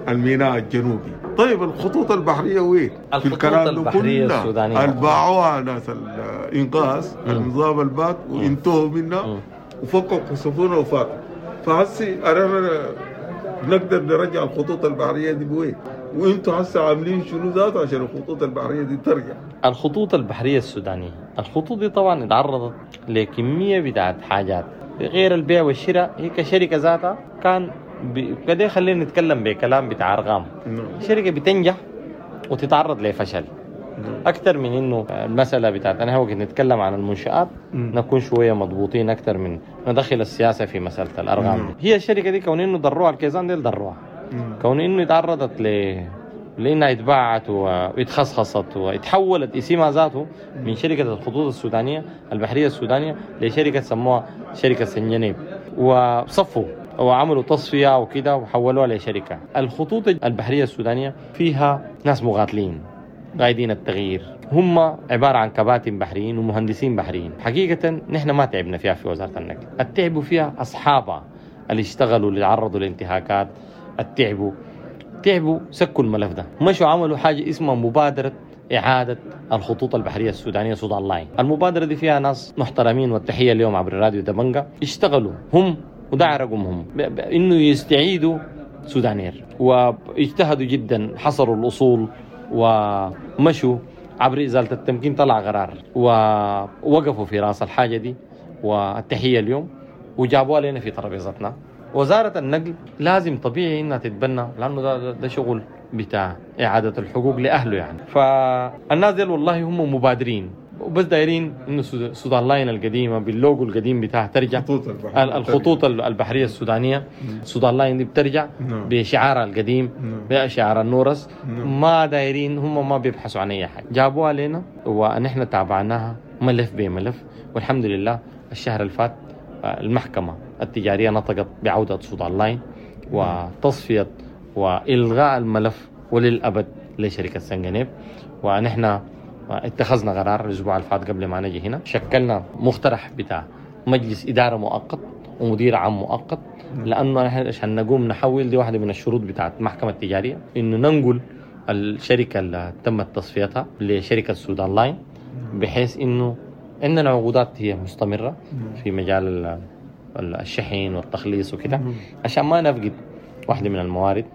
الميناء الجنوبي، طيب الخطوط البحرية وين؟ في الكلام البحرية السودانية الباعوها ناس الإنقاذ النظام البات وانتهوا منها وفكوا السفن وفاتوا. فهسي أنا نقدر نرجع الخطوط البحرية دي بوين؟ وانتوا هسه عاملين شنو ذاته عشان الخطوط البحرية دي ترجع؟ الخطوط البحرية السودانية، الخطوط دي طبعا اتعرضت لكمية بتاعت حاجات غير البيع والشراء، هي كشركة ذاتها كان كده خلينا نتكلم بكلام بتاع ارقام. شركة بتنجح وتتعرض لفشل اكثر من انه المسالة بتاعت انا وقت نتكلم عن المنشآت نكون شوية مضبوطين اكثر من ندخل السياسة في مسالة الارقام دي. هي الشركة دي كون انه ضروها الكيزان دي ضروها، كون انه تعرضت ل لانها اتباعت واتخصخصت واتحولت اسمها ذاته من شركة الخطوط السودانية البحرية السودانية لشركة سموها شركة سنجنيب، وصفوا وعملوا تصفية وكده وحولوها لشركة. الخطوط البحرية السودانية فيها ناس مقاتلين قايدين التغيير، هم عبارة عن كباتن بحريين ومهندسين بحريين. حقيقة نحن ما تعبنا فيها في وزارة النقل، التعبوا فيها أصحابها اللي اشتغلوا اللي تعرضوا لانتهاكات، التعبوا تعبوا سكوا الملف ده، مشوا عملوا حاجة اسمها مبادرة إعادة الخطوط البحرية السودانية سودان لاين. المبادرة دي فيها ناس محترمين، والتحية اليوم عبر الراديو دبنجا اشتغلوا هم وده رقمهم انه يستعيدوا سودانير، واجتهدوا جدا، حصروا الاصول ومشوا عبر ازالة التمكين، طلع قرار ووقفوا في راس الحاجة دي، والتحيه اليوم وجابوها لنا في ترابيزتنا. وزارة النقل لازم طبيعي انها تتبنى، لانه ده, ده شغل بتاع اعاده الحقوق لاهله يعني. فالناس دي والله هم مبادرين وبس دايرين انه سودان لاين القديمة باللوجو القديم بتاعها ترجع، الخطوط البحرية, الخطوط البحرية السودانية سودان لاين دي بترجع بشعارها القديم بشعار النورس. ما دايرين هم، ما بيبحثوا عن اي حاجة، جابوها لنا ونحن تابعناها ملف بملف، والحمد لله الشهر الفات المحكمة التجارية نطقت بعوده سودان لاين وتصفية والغاء الملف وللابد لشركة سنجنيب. ونحن اتخذنا قرار الأسبوع الفات قبل ما نجي هنا، شكلنا مقترح بتاع مجلس إدارة مؤقت ومدير عام مؤقت، لأنه نحن عشان نقوم نحول دي واحدة من الشروط بتاعت المحكمة التجارية إنه ننقل الشركة اللي تمت تصفيتها لشركة سودان لاين، بحيث إنه عندنا عقودات هي مستمرة في مجال الشحن والتخليص وكده، عشان ما نفقد واحدة من الموارد.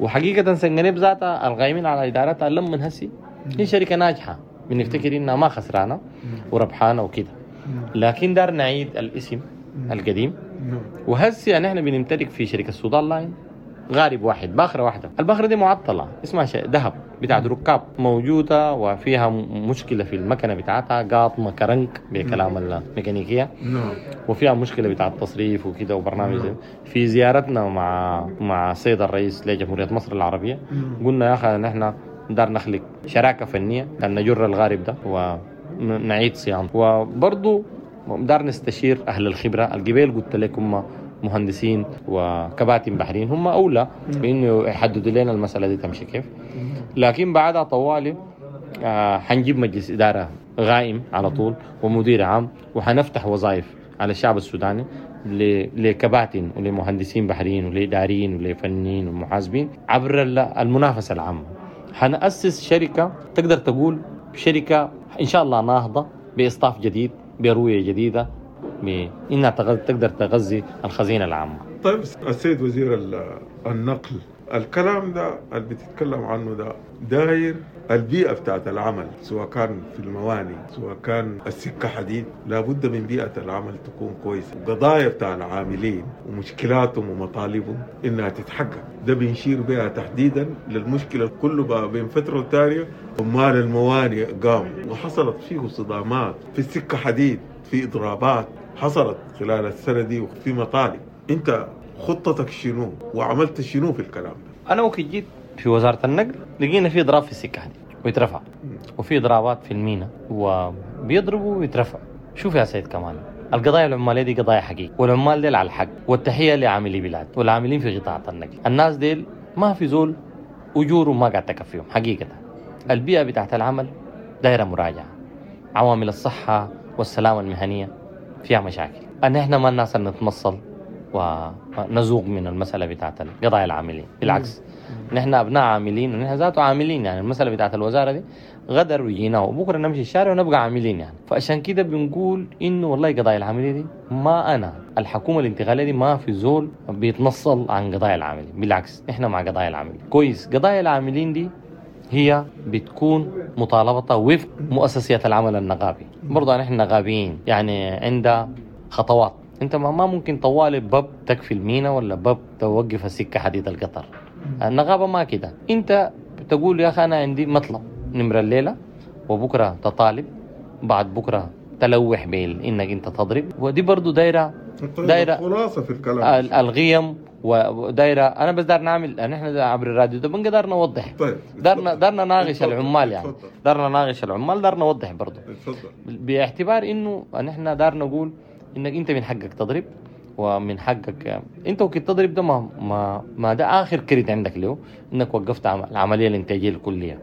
وحقيقة سنغنيب ذاتها القائمين على إدارتها لما هسي هي شركة ناجحة، بنفتكر إنها ما خسرانة وربحانة وكده، لكن دار نعيد الاسم القديم. وهسي يعني احنا بنمتلك في شركة السودان لاين غارب واحد، باخرة واحدة، الباخرة دي معطلة اسمها ذهب بتاعت ركاب موجودة، وفيها مشكلة في المكنة بتاعتها قاطمة كرنك بكلام الميكانيكية، وفيها مشكلة بتاعت تصريف وكده وبرنامج. في زيارتنا مع مع السيد الرئيس لجمهورية مصر العربية قلنا يا أخي نحن دار نخلق شراكة فنية لأن نجر الغارب ده ونعيد صيانته، وبرضو دار نستشير أهل الخبرة. القبيل قلت لكم مهندسين وكباتن بحريين هم أولى بإنه يحددوا لنا المسألة دي تمشي كيف. لكن بعدها طوالي آه حنجيب مجلس إدارة غائم على طول ومدير عام، وحنفتح وظائف على الشعب السوداني لكباتن ولمهندسين بحريين ولإداريين ولفنيين ومحاسبين عبر المنافسة العامة. حنأسس شركة تقدر تقول شركة إن شاء الله ناهضة بإصطاف جديد برؤية جديدة بإنها تقدر تغذي الخزينة العامة. طيب السيد وزير النقل، الكلام ده اللي بتتكلم عنه ده داير البيئة بتاعت العمل، سواء كان في المواني سواء كان السكة حديد، لابد من بيئة العمل تكون كويسة، وقضايا بتاع العاملين ومشكلاتهم ومطالبهم إنها تتحقق. ده بنشير بها تحديدا للمشكلة كله بين فترة وتانية عمال المواني قاموا وحصلت فيه صدامات في السكة حديد، في إضرابات حصلت خلال السنة دي وفي مطالب. أنت خطتك شنو وعملت شنو في الكلام ده؟ أنا وقت جيت في وزارة النقل لقينا في إضراب في السكة حديد ويترفع، وفي إضرابات في المينا وبيضربوا ويترفع. شوف يا سيد كمال، القضايا العمالية دي قضايا حقيقية، والعمال ديل على الحق، والتحية لعاملي بلاد والعاملين في قطاع النقل. الناس ديل ما في زول أجورهم ما قاعد تكفيهم حقيقة. البيئة بتاعت العمل دايرة مراجعة، عوامل الصحة والسلامة المهنية فيها مشاكل. أن إحنا ما الناس نتمصل ونزوغ من المسألة بتاعت القضايا العاملين، بالعكس نحن أبناء عاملين ونحن ذاته عاملين. يعني المسألة بتاعت الوزارة دي غدر وجينا وبكرة نمشي الشارع ونبقى عاملين يعني. فعشان كده بنقول إنه والله قضايا العاملين دي ما أنا الحكومة الانتقالية دي ما في زول بيتنصل عن قضايا العاملين، بالعكس إحنا مع قضايا العاملين. كويس، قضايا العاملين دي هي بتكون مطالبتها وفق مؤسسية العمل النقابي. برضه نحن نقابيين يعني عند خطوات، انت ما ممكن طوالي باب تكفي المينا ولا باب توقف السكة حديد القطر. النقابة ما كده، انت بتقول يا اخي انا عندي مطلب نمرة الليلة، وبكرة تطالب، بعد بكرة تلوح بال انك انت تضرب. ودي برضو دايرة دايرة خلاصة في الكلام الغيم ودايرة. انا بس دار نعمل نحن عبر الراديو ده بنقدر نوضح. طيب دارنا دارنا ناقش العمال يعني، دارنا ناقش العمال، دارنا نوضح برضو اتفضل. باعتبار انه نحن دار نقول انك انت من حقك تضرب ومن حقك انت وكنت تضرب ده ما ما, ما ده اخر كريت عندك له انك وقفت العملية الانتاجية الكلية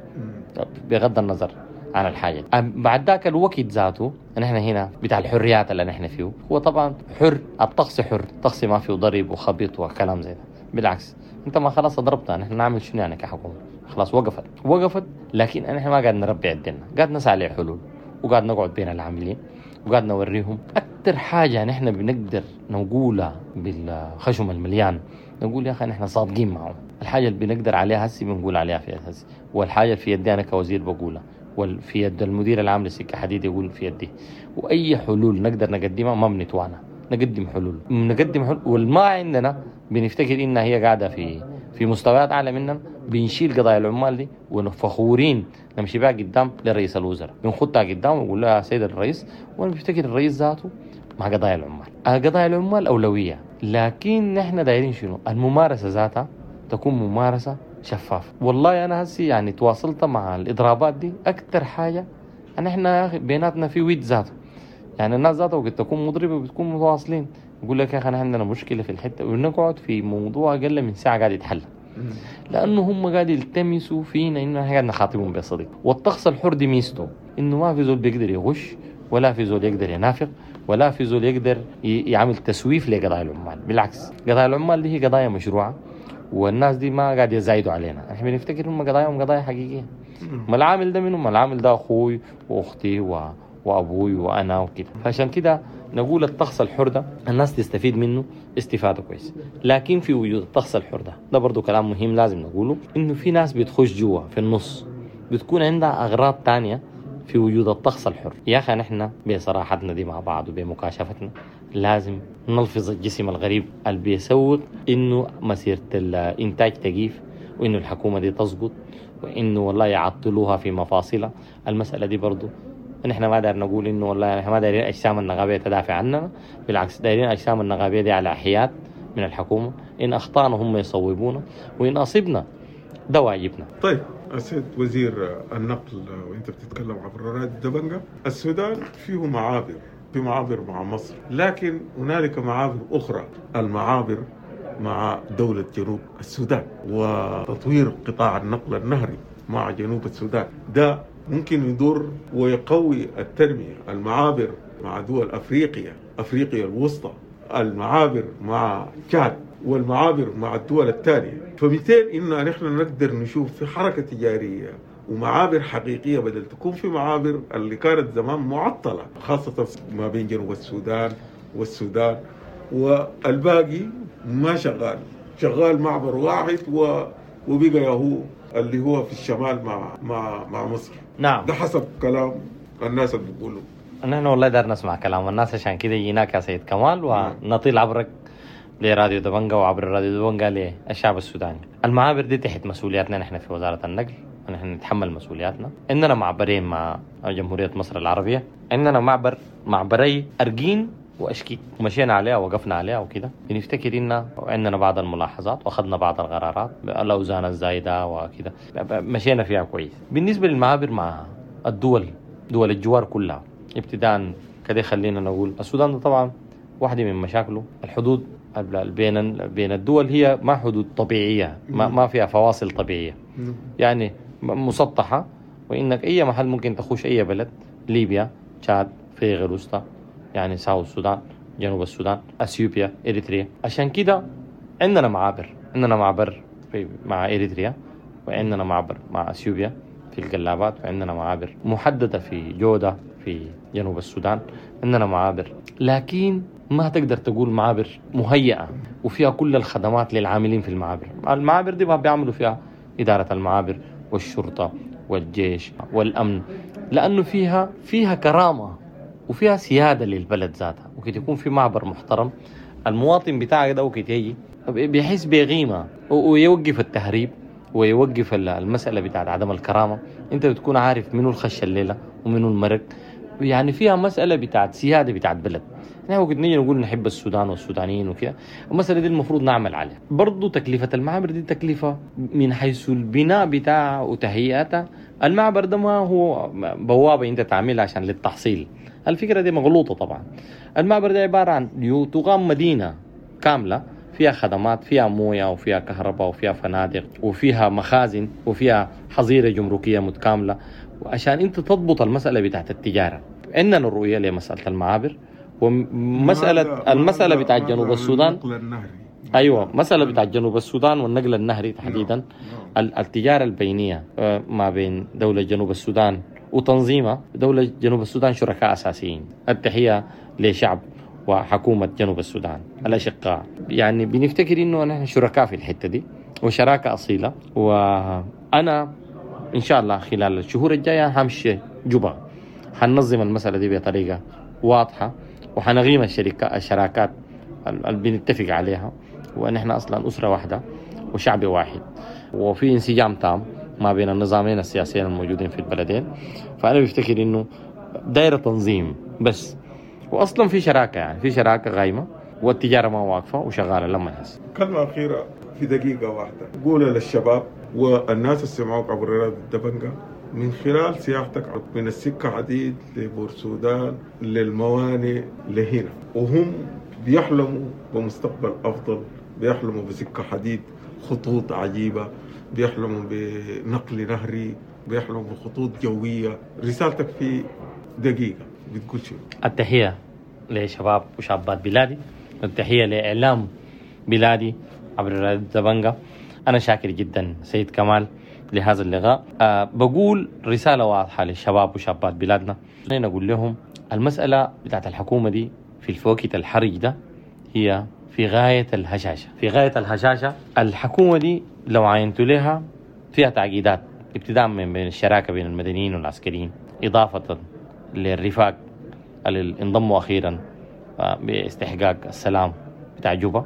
بغض النظر عن الحاجة. بعد ذاك الوقت ذاته نحن هنا بتاع الحريات اللي نحن فيه هو طبعا حر، الطقس حر، الطقس ما فيه ضرب وخبيط وكلام زي ده. بالعكس انت ما خلاص ضربتها، نحن نعمل شنو يعني كحكومة؟ خلاص وقفت وقفت، لكن نحن ما قاعد نربي عندنا، قاعد نسعى لحلول وقاعد نقعد بين العاملين وقاعد نوريهم. أكثر حاجة نحن بنقدر نقولها بالخشم المليان نقول يا أخي نحن صادقين معهم. الحاجة اللي بنقدر عليها هسي بنقول عليها في هسي، والحاجة في يدي أنا كوزير بقولها، وفي يد المدير العام للسكة حديد يقول في يدي. وأي حلول نقدر نقدمها ما بنتوانا، نقدم حلول نقدم حلول. والما عندنا بنفتكر إنها هي قاعدة في في مستويات أعلى مننا، بنشيل قضايا العمال دي ونفخورين نمشي بها قدام لرئيس الوزراء، بنخطها قدام ونقول له يا سيد الرئيس. وانا بفتكر الرئيس ذاته مع قضايا العمال، قضايا العمال أولوية، لكن نحن دايرين شنو؟ الممارسة ذاتها تكون ممارسة شفافة. والله أنا هسي يعني تواصلت مع الإضرابات دي أكثر حاجة أن إحنا يا أخي بيناتنا في ود ذاته، يعني الناس ذاتها وقت تكون مضربة بتكون متواصلين، يقول لك يا أخي عندنا مشكلة في الحتة، ونقعد في موضوع أقل من ساعة قاعد يتحل، لأنه هم قاعد يلتمسوا فينا إنه إحنا قاعد نخاطبهم بصدق. والطقس الحر دي ميزته إنه ما في زول بيقدر يغش، ولا في زول يقدر ينافق، ولا في زول يقدر يعمل تسويف لقضايا العمال. بالعكس قضايا العمال دي هي قضايا مشروعة، والناس دي ما قاعد يزايدوا علينا. احنا بنفتكر هم قضاياهم قضايا حقيقية. ما العامل ده منهم، ما العامل ده أخوي وأختي و... وابوي وانا وكده. فعشان كده نقول الطقس الحر ده الناس تستفيد منه استفاده كويس. لكن في وجود الطقس الحر ده، ده برضو كلام مهم لازم نقوله، انه في ناس بتخش جوا في النص بتكون عندها اغراض تانية في وجود الطقس الحر. يا اخي نحن بصراحتنا دي مع بعض وبمكاشفتنا لازم نلفظ الجسم الغريب اللي بيسوق انه مسيره الانتاج تقيف، وانه الحكومة دي تسقط، وانه والله يعطلوها في مفاصلها. المسالة دي برضو نحن ما داير نقول انه والله نحن ما دايرين اجسام النغابيه تدافع عننا، بالعكس دايرين اجسام النغابيه دي على حياد من الحكومة، ان اخطانا هم يصوبونا وان اصبنا ده واجبنا. طيب السيد وزير النقل، وانت بتتكلم عبر راديو دبنجة، السودان فيه معابر، في معابر مع مصر، لكن هنالك معابر أخرى، المعابر مع دولة جنوب السودان وتطوير قطاع النقل النهري مع جنوب السودان ده ممكن يدور ويقوي التنمية. المعابر مع دول أفريقيا، أفريقيا الوسطى، المعابر مع تشاد، والمعابر مع الدول الثانية. فمثال إن نحن نقدر نشوف في حركة تجارية ومعابر حقيقية بدل تكون في معابر اللي كانت زمان معطلة، خاصة ما بين جنوب السودان والسودان، والباقي ما شغال، شغال معبر واحد و... وبقى هو اللي هو في الشمال مع مع مع مصر. نعم، ده حسب كلام الناس اللي بيقولوا. نحن والله دار نسمع كلام الناس، عشان كده جيناك يا سيد كمال ونطيل عبرك لراديو دبنجة وعبر الراديو دبنجة للشعب السوداني. المعابر دي تحت مسؤولياتنا نحن في وزارة النقل، ونحن نتحمل مسؤولياتنا. عندنا معبرين مع جمهورية مصر العربية، عندنا معبر معبري أرجين وأشكيت، ومشينا عليها وقفنا عليها وكده. بنفتكر إن عندنا بعض الملاحظات وأخذنا بعض القرارات، الأوزان الزايدة وكده، مشينا فيها كويس. بالنسبة للمعابر مع الدول، دول الجوار كلها ابتداء كده، خلينا نقول السودان ده طبعا واحدة من مشاكله الحدود بين بين الدول هي ما حدود طبيعية، ما ما فيها فواصل طبيعية، يعني مسطحة، وإنك أي محل ممكن تخش أي بلد، ليبيا، تشاد، افريقيا الوسطى، يعني ساوث السودان، جنوب السودان، اثيوبيا، اريتريا. عشان كده عندنا معابر، عندنا معبر في مع اريتريا، وعندنا معبر مع اثيوبيا في القلابات، وعندنا معابر محددة في جودة في جنوب السودان، عندنا معابر، لكن ما تقدر تقول معابر مهيئة وفيها كل الخدمات للعاملين في المعابر. المعابر دي ما بيعملوا فيها إدارة المعابر والشرطة والجيش والأمن، لأنه فيها فيها كرامة وفيها سيادة للبلد ذاتها. وكي يكون في معبر محترم، المواطن بتاعك ده وكي يجي بيحس بقيمة ويوقف التهريب ويوقف المسألة بتاعت عدم الكرامة. انت بتكون عارف منو الخش الليلة ومنو المرق، يعني فيها مسألة بتاعت سيادة بتاعت بلد. نحن وقت نيجي نقول نحب السودان والسودانيين وكذا، المسألة دي المفروض نعمل عليها. برضو تكلفة المعابر دي تكلفة من حيث البناء بتاعها وتهيئتها. المعبر ده ما هو بوابة انت تعملها عشان للتحصيل، الفكرة دي مغلوطة طبعا. المعبر ده عبارة عن تقام مدينة كاملة فيها خدمات، فيها موية وفيها كهرباء وفيها فنادق وفيها مخازن وفيها حظيرة جمركية متكاملة، وعشان انت تضبط المسألة بتاعت التجارة. عندنا الرؤية لمسألة المعابر ومسألة المسألة بتاعت جنوب السودان، النقل النهري. أيوة، مسألة بتاعت جنوب السودان والنقل النهري تحديدا، التجارة البينية ما بين دولة جنوب السودان وتنظيمها. دولة جنوب السودان شركاء أساسيين. التحية لشعب وحكومة جنوب السودان الأشقاء. يعني بنفتكر إنه نحن شركاء في الحتة دي وشراكة أصيلة. وأنا إن شاء الله خلال الشهور الجاية همشي جوبا، حننظم المسألة دي بطريقة واضحة، وحنغيم الشركة الشراكات اللي بنتفق عليها، ونحن أصلا أسرة واحدة وشعب واحد، وفي انسجام تام ما بين النظامين السياسيين الموجودين في البلدين. فأنا بفتكر إنه دايرة تنظيم بس، وأصلا في شراكة، يعني في شراكة غايمة والتجارة ما واقفة وشغالة لما نحس. كلمة أخيرة في دقيقة واحدة قولها للشباب والناس اللي سمعوك عبر راديو الدبنجة من خلال سياحتك من السكة حديد لبور سودان للموانئ لهنا، وهم بيحلموا بمستقبل أفضل، بيحلموا بسكة حديد، خطوط عجيبة، بيحلموا بنقل نهري، بيحلموا بخطوط جوية. رسالتك في دقيقة بتقول شو؟ التحية لشباب وشابات بلادي، التحية لإعلام بلادي عبر راديو دبنجة. أنا شاكر جدا سيد كمال لهذا اللقاء. أه بقول رسالة واضحة للشباب وشابات بلادنا، نقول لهم المسألة بتاعت الحكومة دي في الوقت الحرج ده هي في غاية الهشاشة، في غاية الهشاشة. الحكومة دي لو عينتوا لها فيها تعقيدات، ابتداء من بين الشراكة بين المدنيين والعسكريين، إضافة للرفاق اللي انضموا أخيرا باستحقاق السلام بتاع جوبا،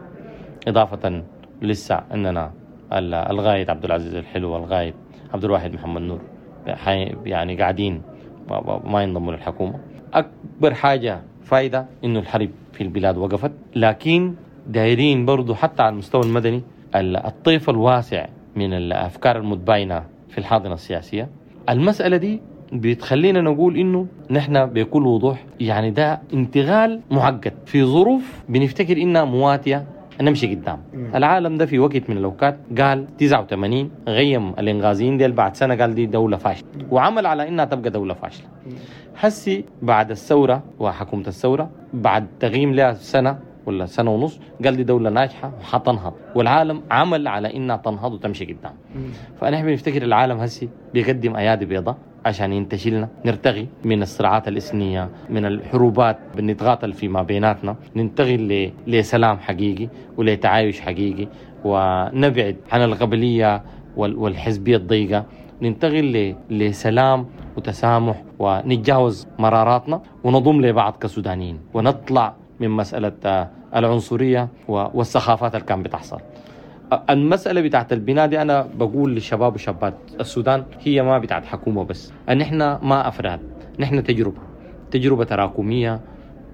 إضافة لسه عندنا الغايد عبد العزيز الحلو والغايد عبد الواحد محمد نور يعني قاعدين ما ينضموا للحكومة. أكبر حاجة فايدة إنه الحرب في البلاد وقفت، لكن دايرين برضو حتى على المستوى المدني الطيف الواسع من الأفكار المتباينة في الحاضنة السياسية. المسألة دي بتخلينا نقول إنه نحن بكل وضوح يعني ده انتقال معقد في ظروف بنفتكر إنها مواتية نمشي قدام. العالم ده في وقت من الأوقات قال تسعة وثمانين غيم الإنغازيين ديل، بعد سنة قال دي دولة فاشلة وعمل على إنها تبقى دولة فاشلة. هسي بعد الثورة وحكومة الثورة بعد تغييم لها سنة ولا سنة ونص قال دي دولة ناجحة وحتنهض، والعالم عمل على إنها تنهض وتمشي قدام. فنحن بنفتكر العالم هسي بيقدم أيادي بيضاء عشان ينتشلنا، نرتغي من الصراعات الإثنية، من الحروبات بنتقاتل فيما بيناتنا، ننتقل لسلام حقيقي ولتعايش حقيقي، ونبعد عن القبلية والحزبية الضيقة، ننتقل لسلام وتسامح ونتجاوز مراراتنا ونضم لبعض كسودانيين، ونطلع من مسألة العنصرية والسخافات اللي كان بتحصل. المسألة بتاعت البناء دي أنا بقول للشباب وشابات السودان هي ما بتاعت حكومة بس، أن إحنا ما أفراد، نحن تجربة، تجربة تراكمية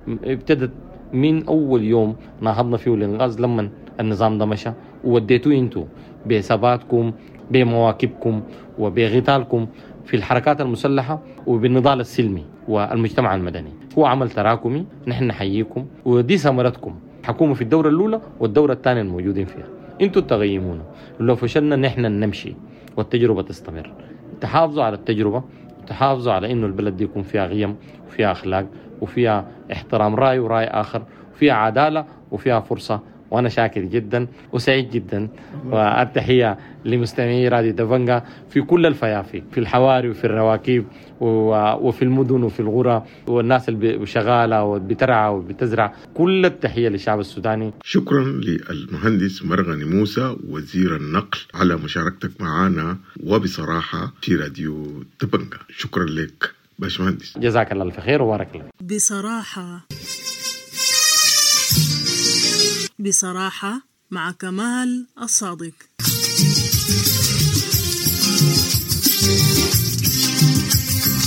ابتدت من أول يوم نهضنا فيه الإنغاز لما النظام ده مشى، ووديتوه انتو بثباتكم بمواكبكم وبغتالكم في الحركات المسلحة وبالنضال السلمي والمجتمع المدني. هو عمل تراكمي، نحن نحييكم ودي ثمرتكم، حكومة في الدورة الأولى والدورة الثانية الموجودين فيها انتوا تغيمونا، لو فشلنا نحن نمشي والتجربة تستمر. تحافظوا على التجربة، تحافظوا على انه البلد دي يكون فيها قيم وفيها اخلاق وفيها احترام رأي ورأي آخر، وفيها عدالة وفيها فرصة. وأنا شاكر جدا وسعيد جدا، والتحية لمستمعي راديو دبنجا في كل الفيافي، في الحواري وفي الرواكيب وفي المدن وفي الغرى، والناس اللي شغالة وبترعى وبتزرع، كل التحية للشعب السوداني. شكرا للمهندس مرغني موسى وزير النقل على مشاركتك معنا وبصراحة في راديو دبنجا. شكرا لك باشمهندس، جزاك الله الف خير وبارك الله. بصراحة بصراحة مع كمال الصادق.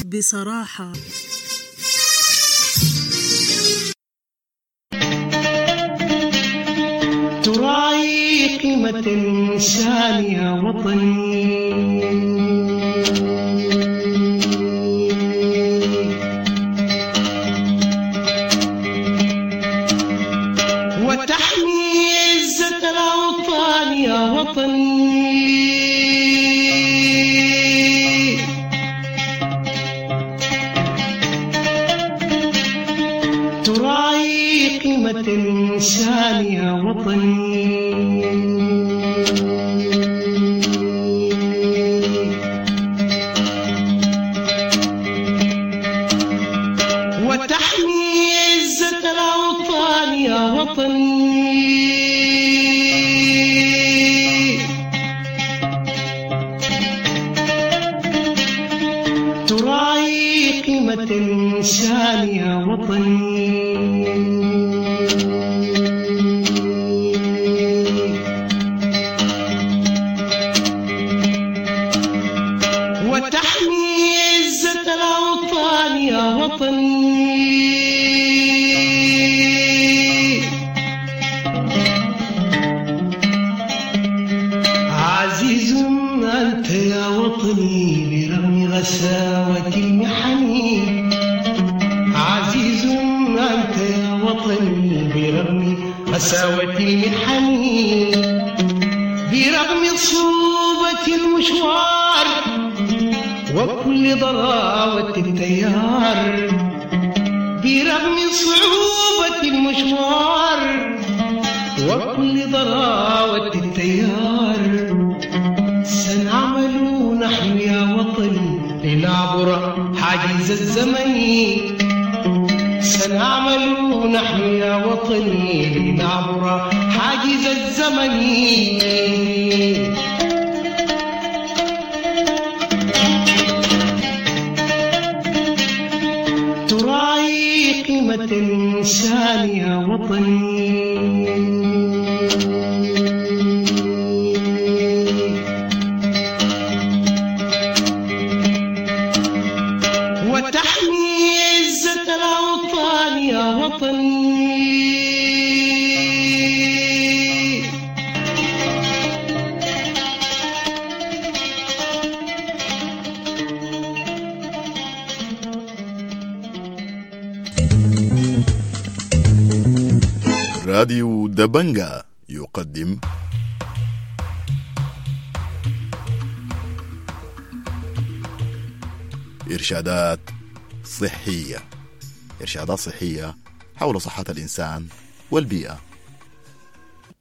بصراحة تراعي قيمة الإنسان يا وطني، وتحمي عزة الأوطان يا وطني، تراعي قيمة الإنسان يا وطني، وتحمي عزة الأوطان يا وطني، تراعي قيمة الإنسان يا وطني، وتحمي عزة الأوطان يا وطني، عزيز أنت يا وطني برغم غساوة المحن، عزيز أنت يا وطني برغم غساوة المحن، برغم صعوبة المشوار وكل ضراوة التيار، برغم صعوبة المشوار وكل ضراوة التيار، سنعمل حاجز الزمن، سنعمل نحن يا وطني لنعبر حاجز الزمن. تراعي قيمة الإنسان يا وطني، وتحمي عزة الأوطان يا وطني. راديو دبنجا يقدم إرشادات صحية. إرشادات صحية حول صحة الإنسان والبيئة.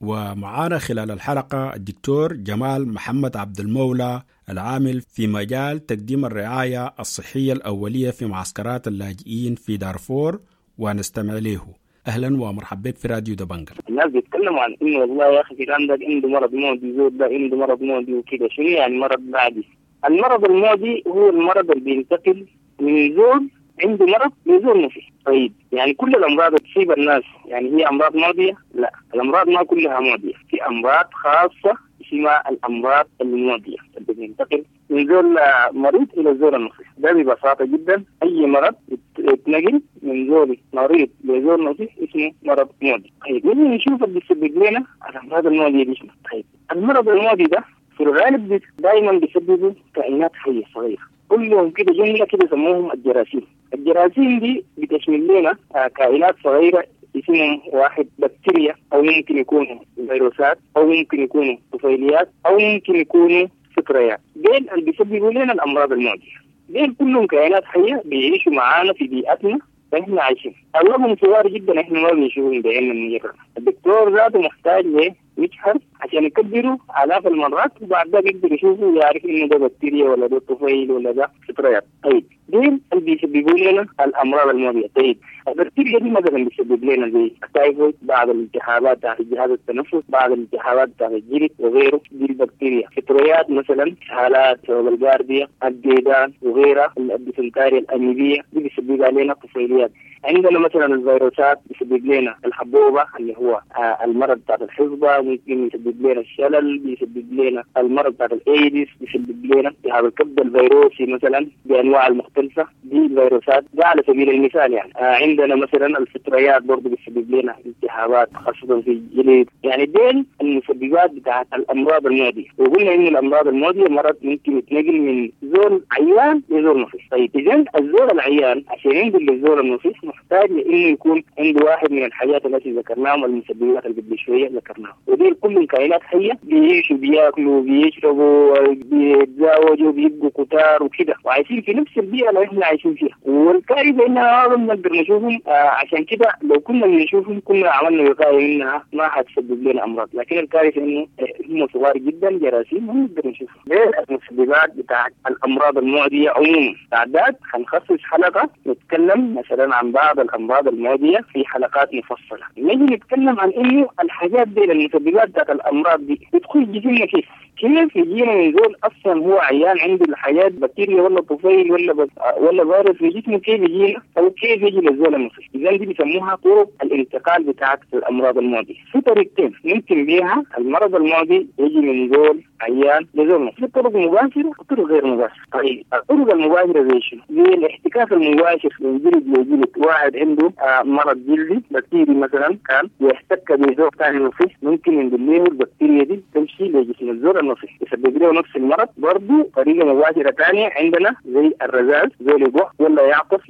ومعانا خلال الحلقة الدكتور جمال محمد عبد المولى، العامل في مجال تقديم الرعاية الصحية الأولية في معسكرات اللاجئين في دارفور، ونستمع له. أهلا ومرحبا بك في راديو دبنجا. الناس بيتكلموا عن إنه والله يا أخي فلان ده عنده مرض معدي، زول ده عنده مرض معدي وكده. شنو يعني مرض معدي؟ المرض المعدي هو المرض اللي بينتقل من زول عنده مرض لزول ما فيه. طيب يعني كل الأمراض تصيب الناس يعني هي أمراض معدية؟ لا، الأمراض ما كلها معدية، في أمراض خاصة اسمها الأمراض المعدية اللي بينتقل من زول مريض إلى زول نصيح. ده ببساطة جدا أي مرض يتنقل من زول مريض لزول نصيح اسمه مرض معدي. طيب نجي نشوف اللي بيسبب لنا الأمراض المعدية دي شنو. طيب المرض المعدي ده في الغالب دائما بيسببه كائنات حية صغيرة، كلهم كده جملة كده يسموهم الجراثيم. الجراثيم دي بتشمل لنا كائنات صغيرة اسمهم واحد بكتيريا، أو ممكن يكونوا فيروسات، أو ممكن يكونوا طفيليات، أو ممكن يكونوا فطريات. ديل اللي بيسببوا لنا الأمراض المعدية. ديل كلهم كائنات حية بيعيشوا معانا في بيئتنا فإحنا عايشين. أغلبهم صغار جدا، إحنا ما بنشوفهم بعيننا المجرد. الدكتور ذاته محتاج لمجهر عشان يكبروا آلاف المرات، وبعد ذلك يقدر يشوفوا ويعرف إنه ده بكتيريا ولا ده طفيل ولا ده فطريات. طيب ديل اللي بيسببوا لنا الأمراض المعدية. طيب البكتيريا دي مثلا بيسبب لنا زي التايفويد، بعض الالتهابات بتاعت الجهاز التنفس، بعض الالتهابات بتاعت الجلد وغيره، دي البكتيريا. فطريات مثلا حالات الجارديا، الديدان وغيرها، الديسنتاريا الأميبية دي بيسبب علينا طفيليات. عندنا مثلا الفيروسات بيسبب لنا الحبوبة اللي هو المرض بتاع الحصبة، ممكن يسبب لنا الشلل، بيسبب لنا المرض بتاع الايدز، بيسبب لنا التهاب الكبد الفيروسي مثلا بانواع المختلفة، دي الفيروسات ده على سبيل المثال يعني. عندنا مثلا الفطريات برضه بيسبب لنا التهابات خاصة في الجلد. يعني دين المسببات بتاعت الامراض المعدية. وقلنا ان الامراض المعدية مرض ممكن يتنقل من زول عيان لزول نصيح. طيب اذا الزول العيان عشان ينقل للزول النصيح محتاج لانه يكون عنده واحد من الحاجات التي ذكرناهم، المسببات اللي قبل شوية ذكرناها، ودي كلهم كائنات حيه بيعيشوا، بياكلوا، بيشربوا، بيتزاوجوا، بيبقوا كتار وكده، وعايشين في نفس البيئة اللي احنا عايشين فيها. والكارثه انها ما بنقدر نشوفهم، آه عشان كده لو كنا بنشوفهم كنا عملنا وقاية منها ما حتسبب لنا امراض، لكن الكارثة انه هم صغار جدا جراثيم ما بنقدر نشوفهم. غير المسببات بتاعت الامراض المعدية عموما. بعد ذلك حنخصص حلقة نتكلم مثلا عن بعض الامراض المعدية في حلقات مفصلة. نجي نتكلم عن انه الحاجات دي المسببات بتاعت الامراض دي بتخش جسمنا كيف؟ كيف يجينا من زول اصلا هو عيان عنده الحياة بكتيريا ولا طفيل ولا بس ولا فيروس في جسمه، كيف يجينا او كيف يجي للزول النصيح؟ اذا دي بيسموها طرق الانتقال بتاعت الامراض المعدية. في طريقتين ممكن بيها المرض المعدي يجي من زول عيان لزول نصيح، في طرق مباشرة وطرق غير مباشرة. طيب الطرق المباشرة زي شنو؟ زي الاحتكاك المباشر من جلد لجلد، واحد عنده آه مرض جلدي بكتيري مثلا كان يحتك بزول ثاني نصيح، ممكن ينقل له البكتيريا دي تمشي لجسم الزول النصيح يسبب له نفس المرض. برضه طريقه مباشرة ثانية عندنا زي الرذاذ، زول يقع ولا يعطف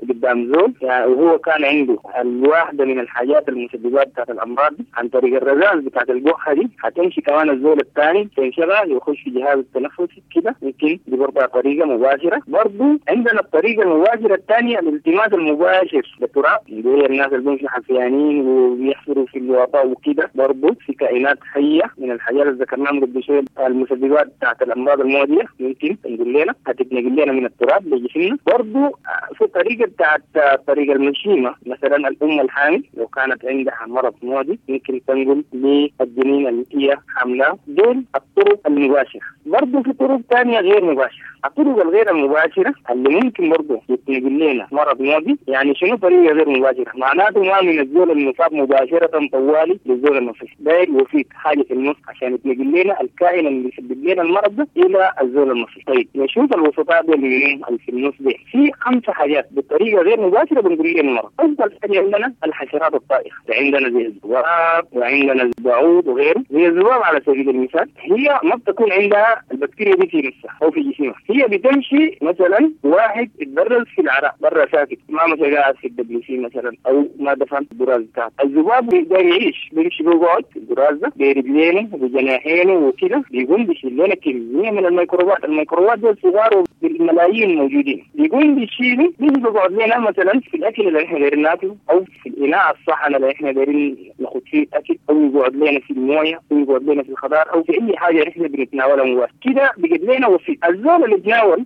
قدام زول يعني وهو كان عنده الواحدة من الحاجات المسببات بتاعت الامراض دي، عن طريق الرذاذ بتاعت القحه دي هتمشي كمان الزول الثاني يستنشقها يخش في جهاز التنفسي كده، ممكن دي برضه طريقة مباشرة. برضه عندنا الطريقة المباشرة الثانية الالتماس المباشر للتراب، اللي هي الناس اللي بيمشوا حفيانين وبيحفروا في الوطاء وكده، برضه في كائنات حية من الحاجات اللي ذكرناها قبل شوية المسببات بتاعت الأمراض المعدية ممكن تنقل لنا، هتتنقل لنا من التراب لجسمنا. برضه في طريقة بتاعت طريقة المشيمة، مثلا الأم الحامل لو كانت عندها مرض معدي ممكن تنقل للجنين اللي هي حاملاه. دول الطرق المباشرة. برضه في طرق ثانية غير مباشرة. الطرق الغير المباشرة اللي ممكن برضه يتنقل لنا مرض معدي، يعني شنو طريقة غير مباشرة؟ معناته ما من الزول المصاب مباشرة طوالي للزول المصاب، داير وفيت حاجة في النص عشان يتنقل لنا الكائن اللي يسبب لنا المرض ده إلى الزول المصاب. طيب نشوف الوسطاء دول اللي في النص دي، في خمسة حاجات بطريقة غير مباشرة بنقول لنا المرض. أول حاجة عندنا الحشرات الطائرة، عندنا زي الذباب وعندنا البعوض وغيره. زي الذباب على سبيل المثال هي ما بتكون عندها البكتيريا دي في نفسها أو في جسمها، هي بتمشي مثلا واحد اتبرز في العراء برا ساكت، ما مشى قاعد في ال WC مثلا او ما دفن البراز بتاعته، الذباب بيقدر يعيش، بيمشي بيقعد في البراز ده برجلينه وبجناحينه وكده، بيقوم بيشيل لنا كميه من الميكروبات، الميكروبات دول صغار بالملايين موجودين، بيقوم بيشيلوا بيجي بيقعد لنا مثلا في الاكل اللي احنا دايرين ناكله او في الاناء الصحن اللي احنا دايرين ناخد فيه الاكل، او يقعد لنا في المويه او يقعد لنا في الخضار او في اي حاجه احنا بنتناولها مباشره كده، بيجد لنا وسيط. الزول اللي تناول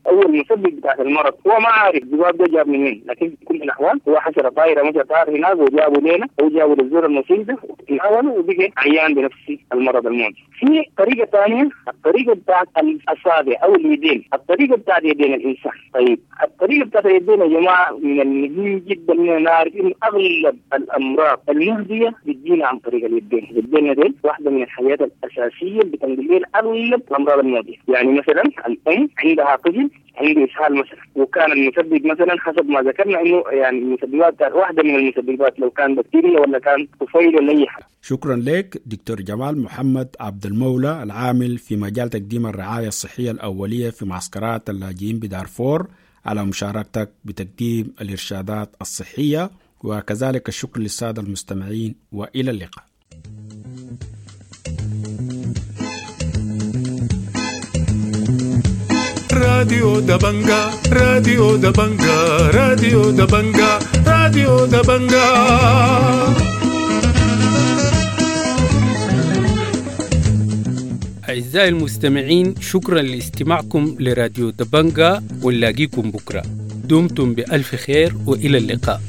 او المسبب بتاع المرض هو ما عارف الذباب ده جاب منين، لكن في كل الاحوال هو حشره طايره مشى طار هناك وجابوا لنا او جابوا للزول المصيب ده وتناوله وبقى عيان بنفس المرض المعدي. في طريقه ثانيه، الطريقه بتاعت الاصابع او اليدين، الطريقه بتاعت يدين الانسان. طيب الطريقه بتاعت اليدين يا جماعه من المهم جدا اننا نعرف انه اغلب الامراض المعديه بتجينا عن طريق اليدين. اليدين دي واحده من الحاجات الاساسيه اللي بتنقل لنا اغلب الامراض المعديه. يعني مثلا الام عندها طفل عنده اسهال مثلا، وكان المسبب مثلا حسب ما ذكرنا انه يعني المسببات واحده من المسببات لو كان بكتيريا ولا كان طفيل ولا اي حاجه. شكرا لك دكتور جمال محمد عبد المولى العامل في مجال تقديم الرعايه الصحيه الاوليه في معسكرات اللاجئين بدارفور على مشاركتك بتقديم الارشادات الصحيه، وكذلك الشكر للساده المستمعين والى اللقاء. راديو دبنجا، راديو دبنجا، راديو دبنجا، راديو دبنجا. أعزائي المستمعين، شكرا لاستماعكم لراديو دبنجا، ونلاقيكم بكرة. دمتم بألف خير وإلى اللقاء.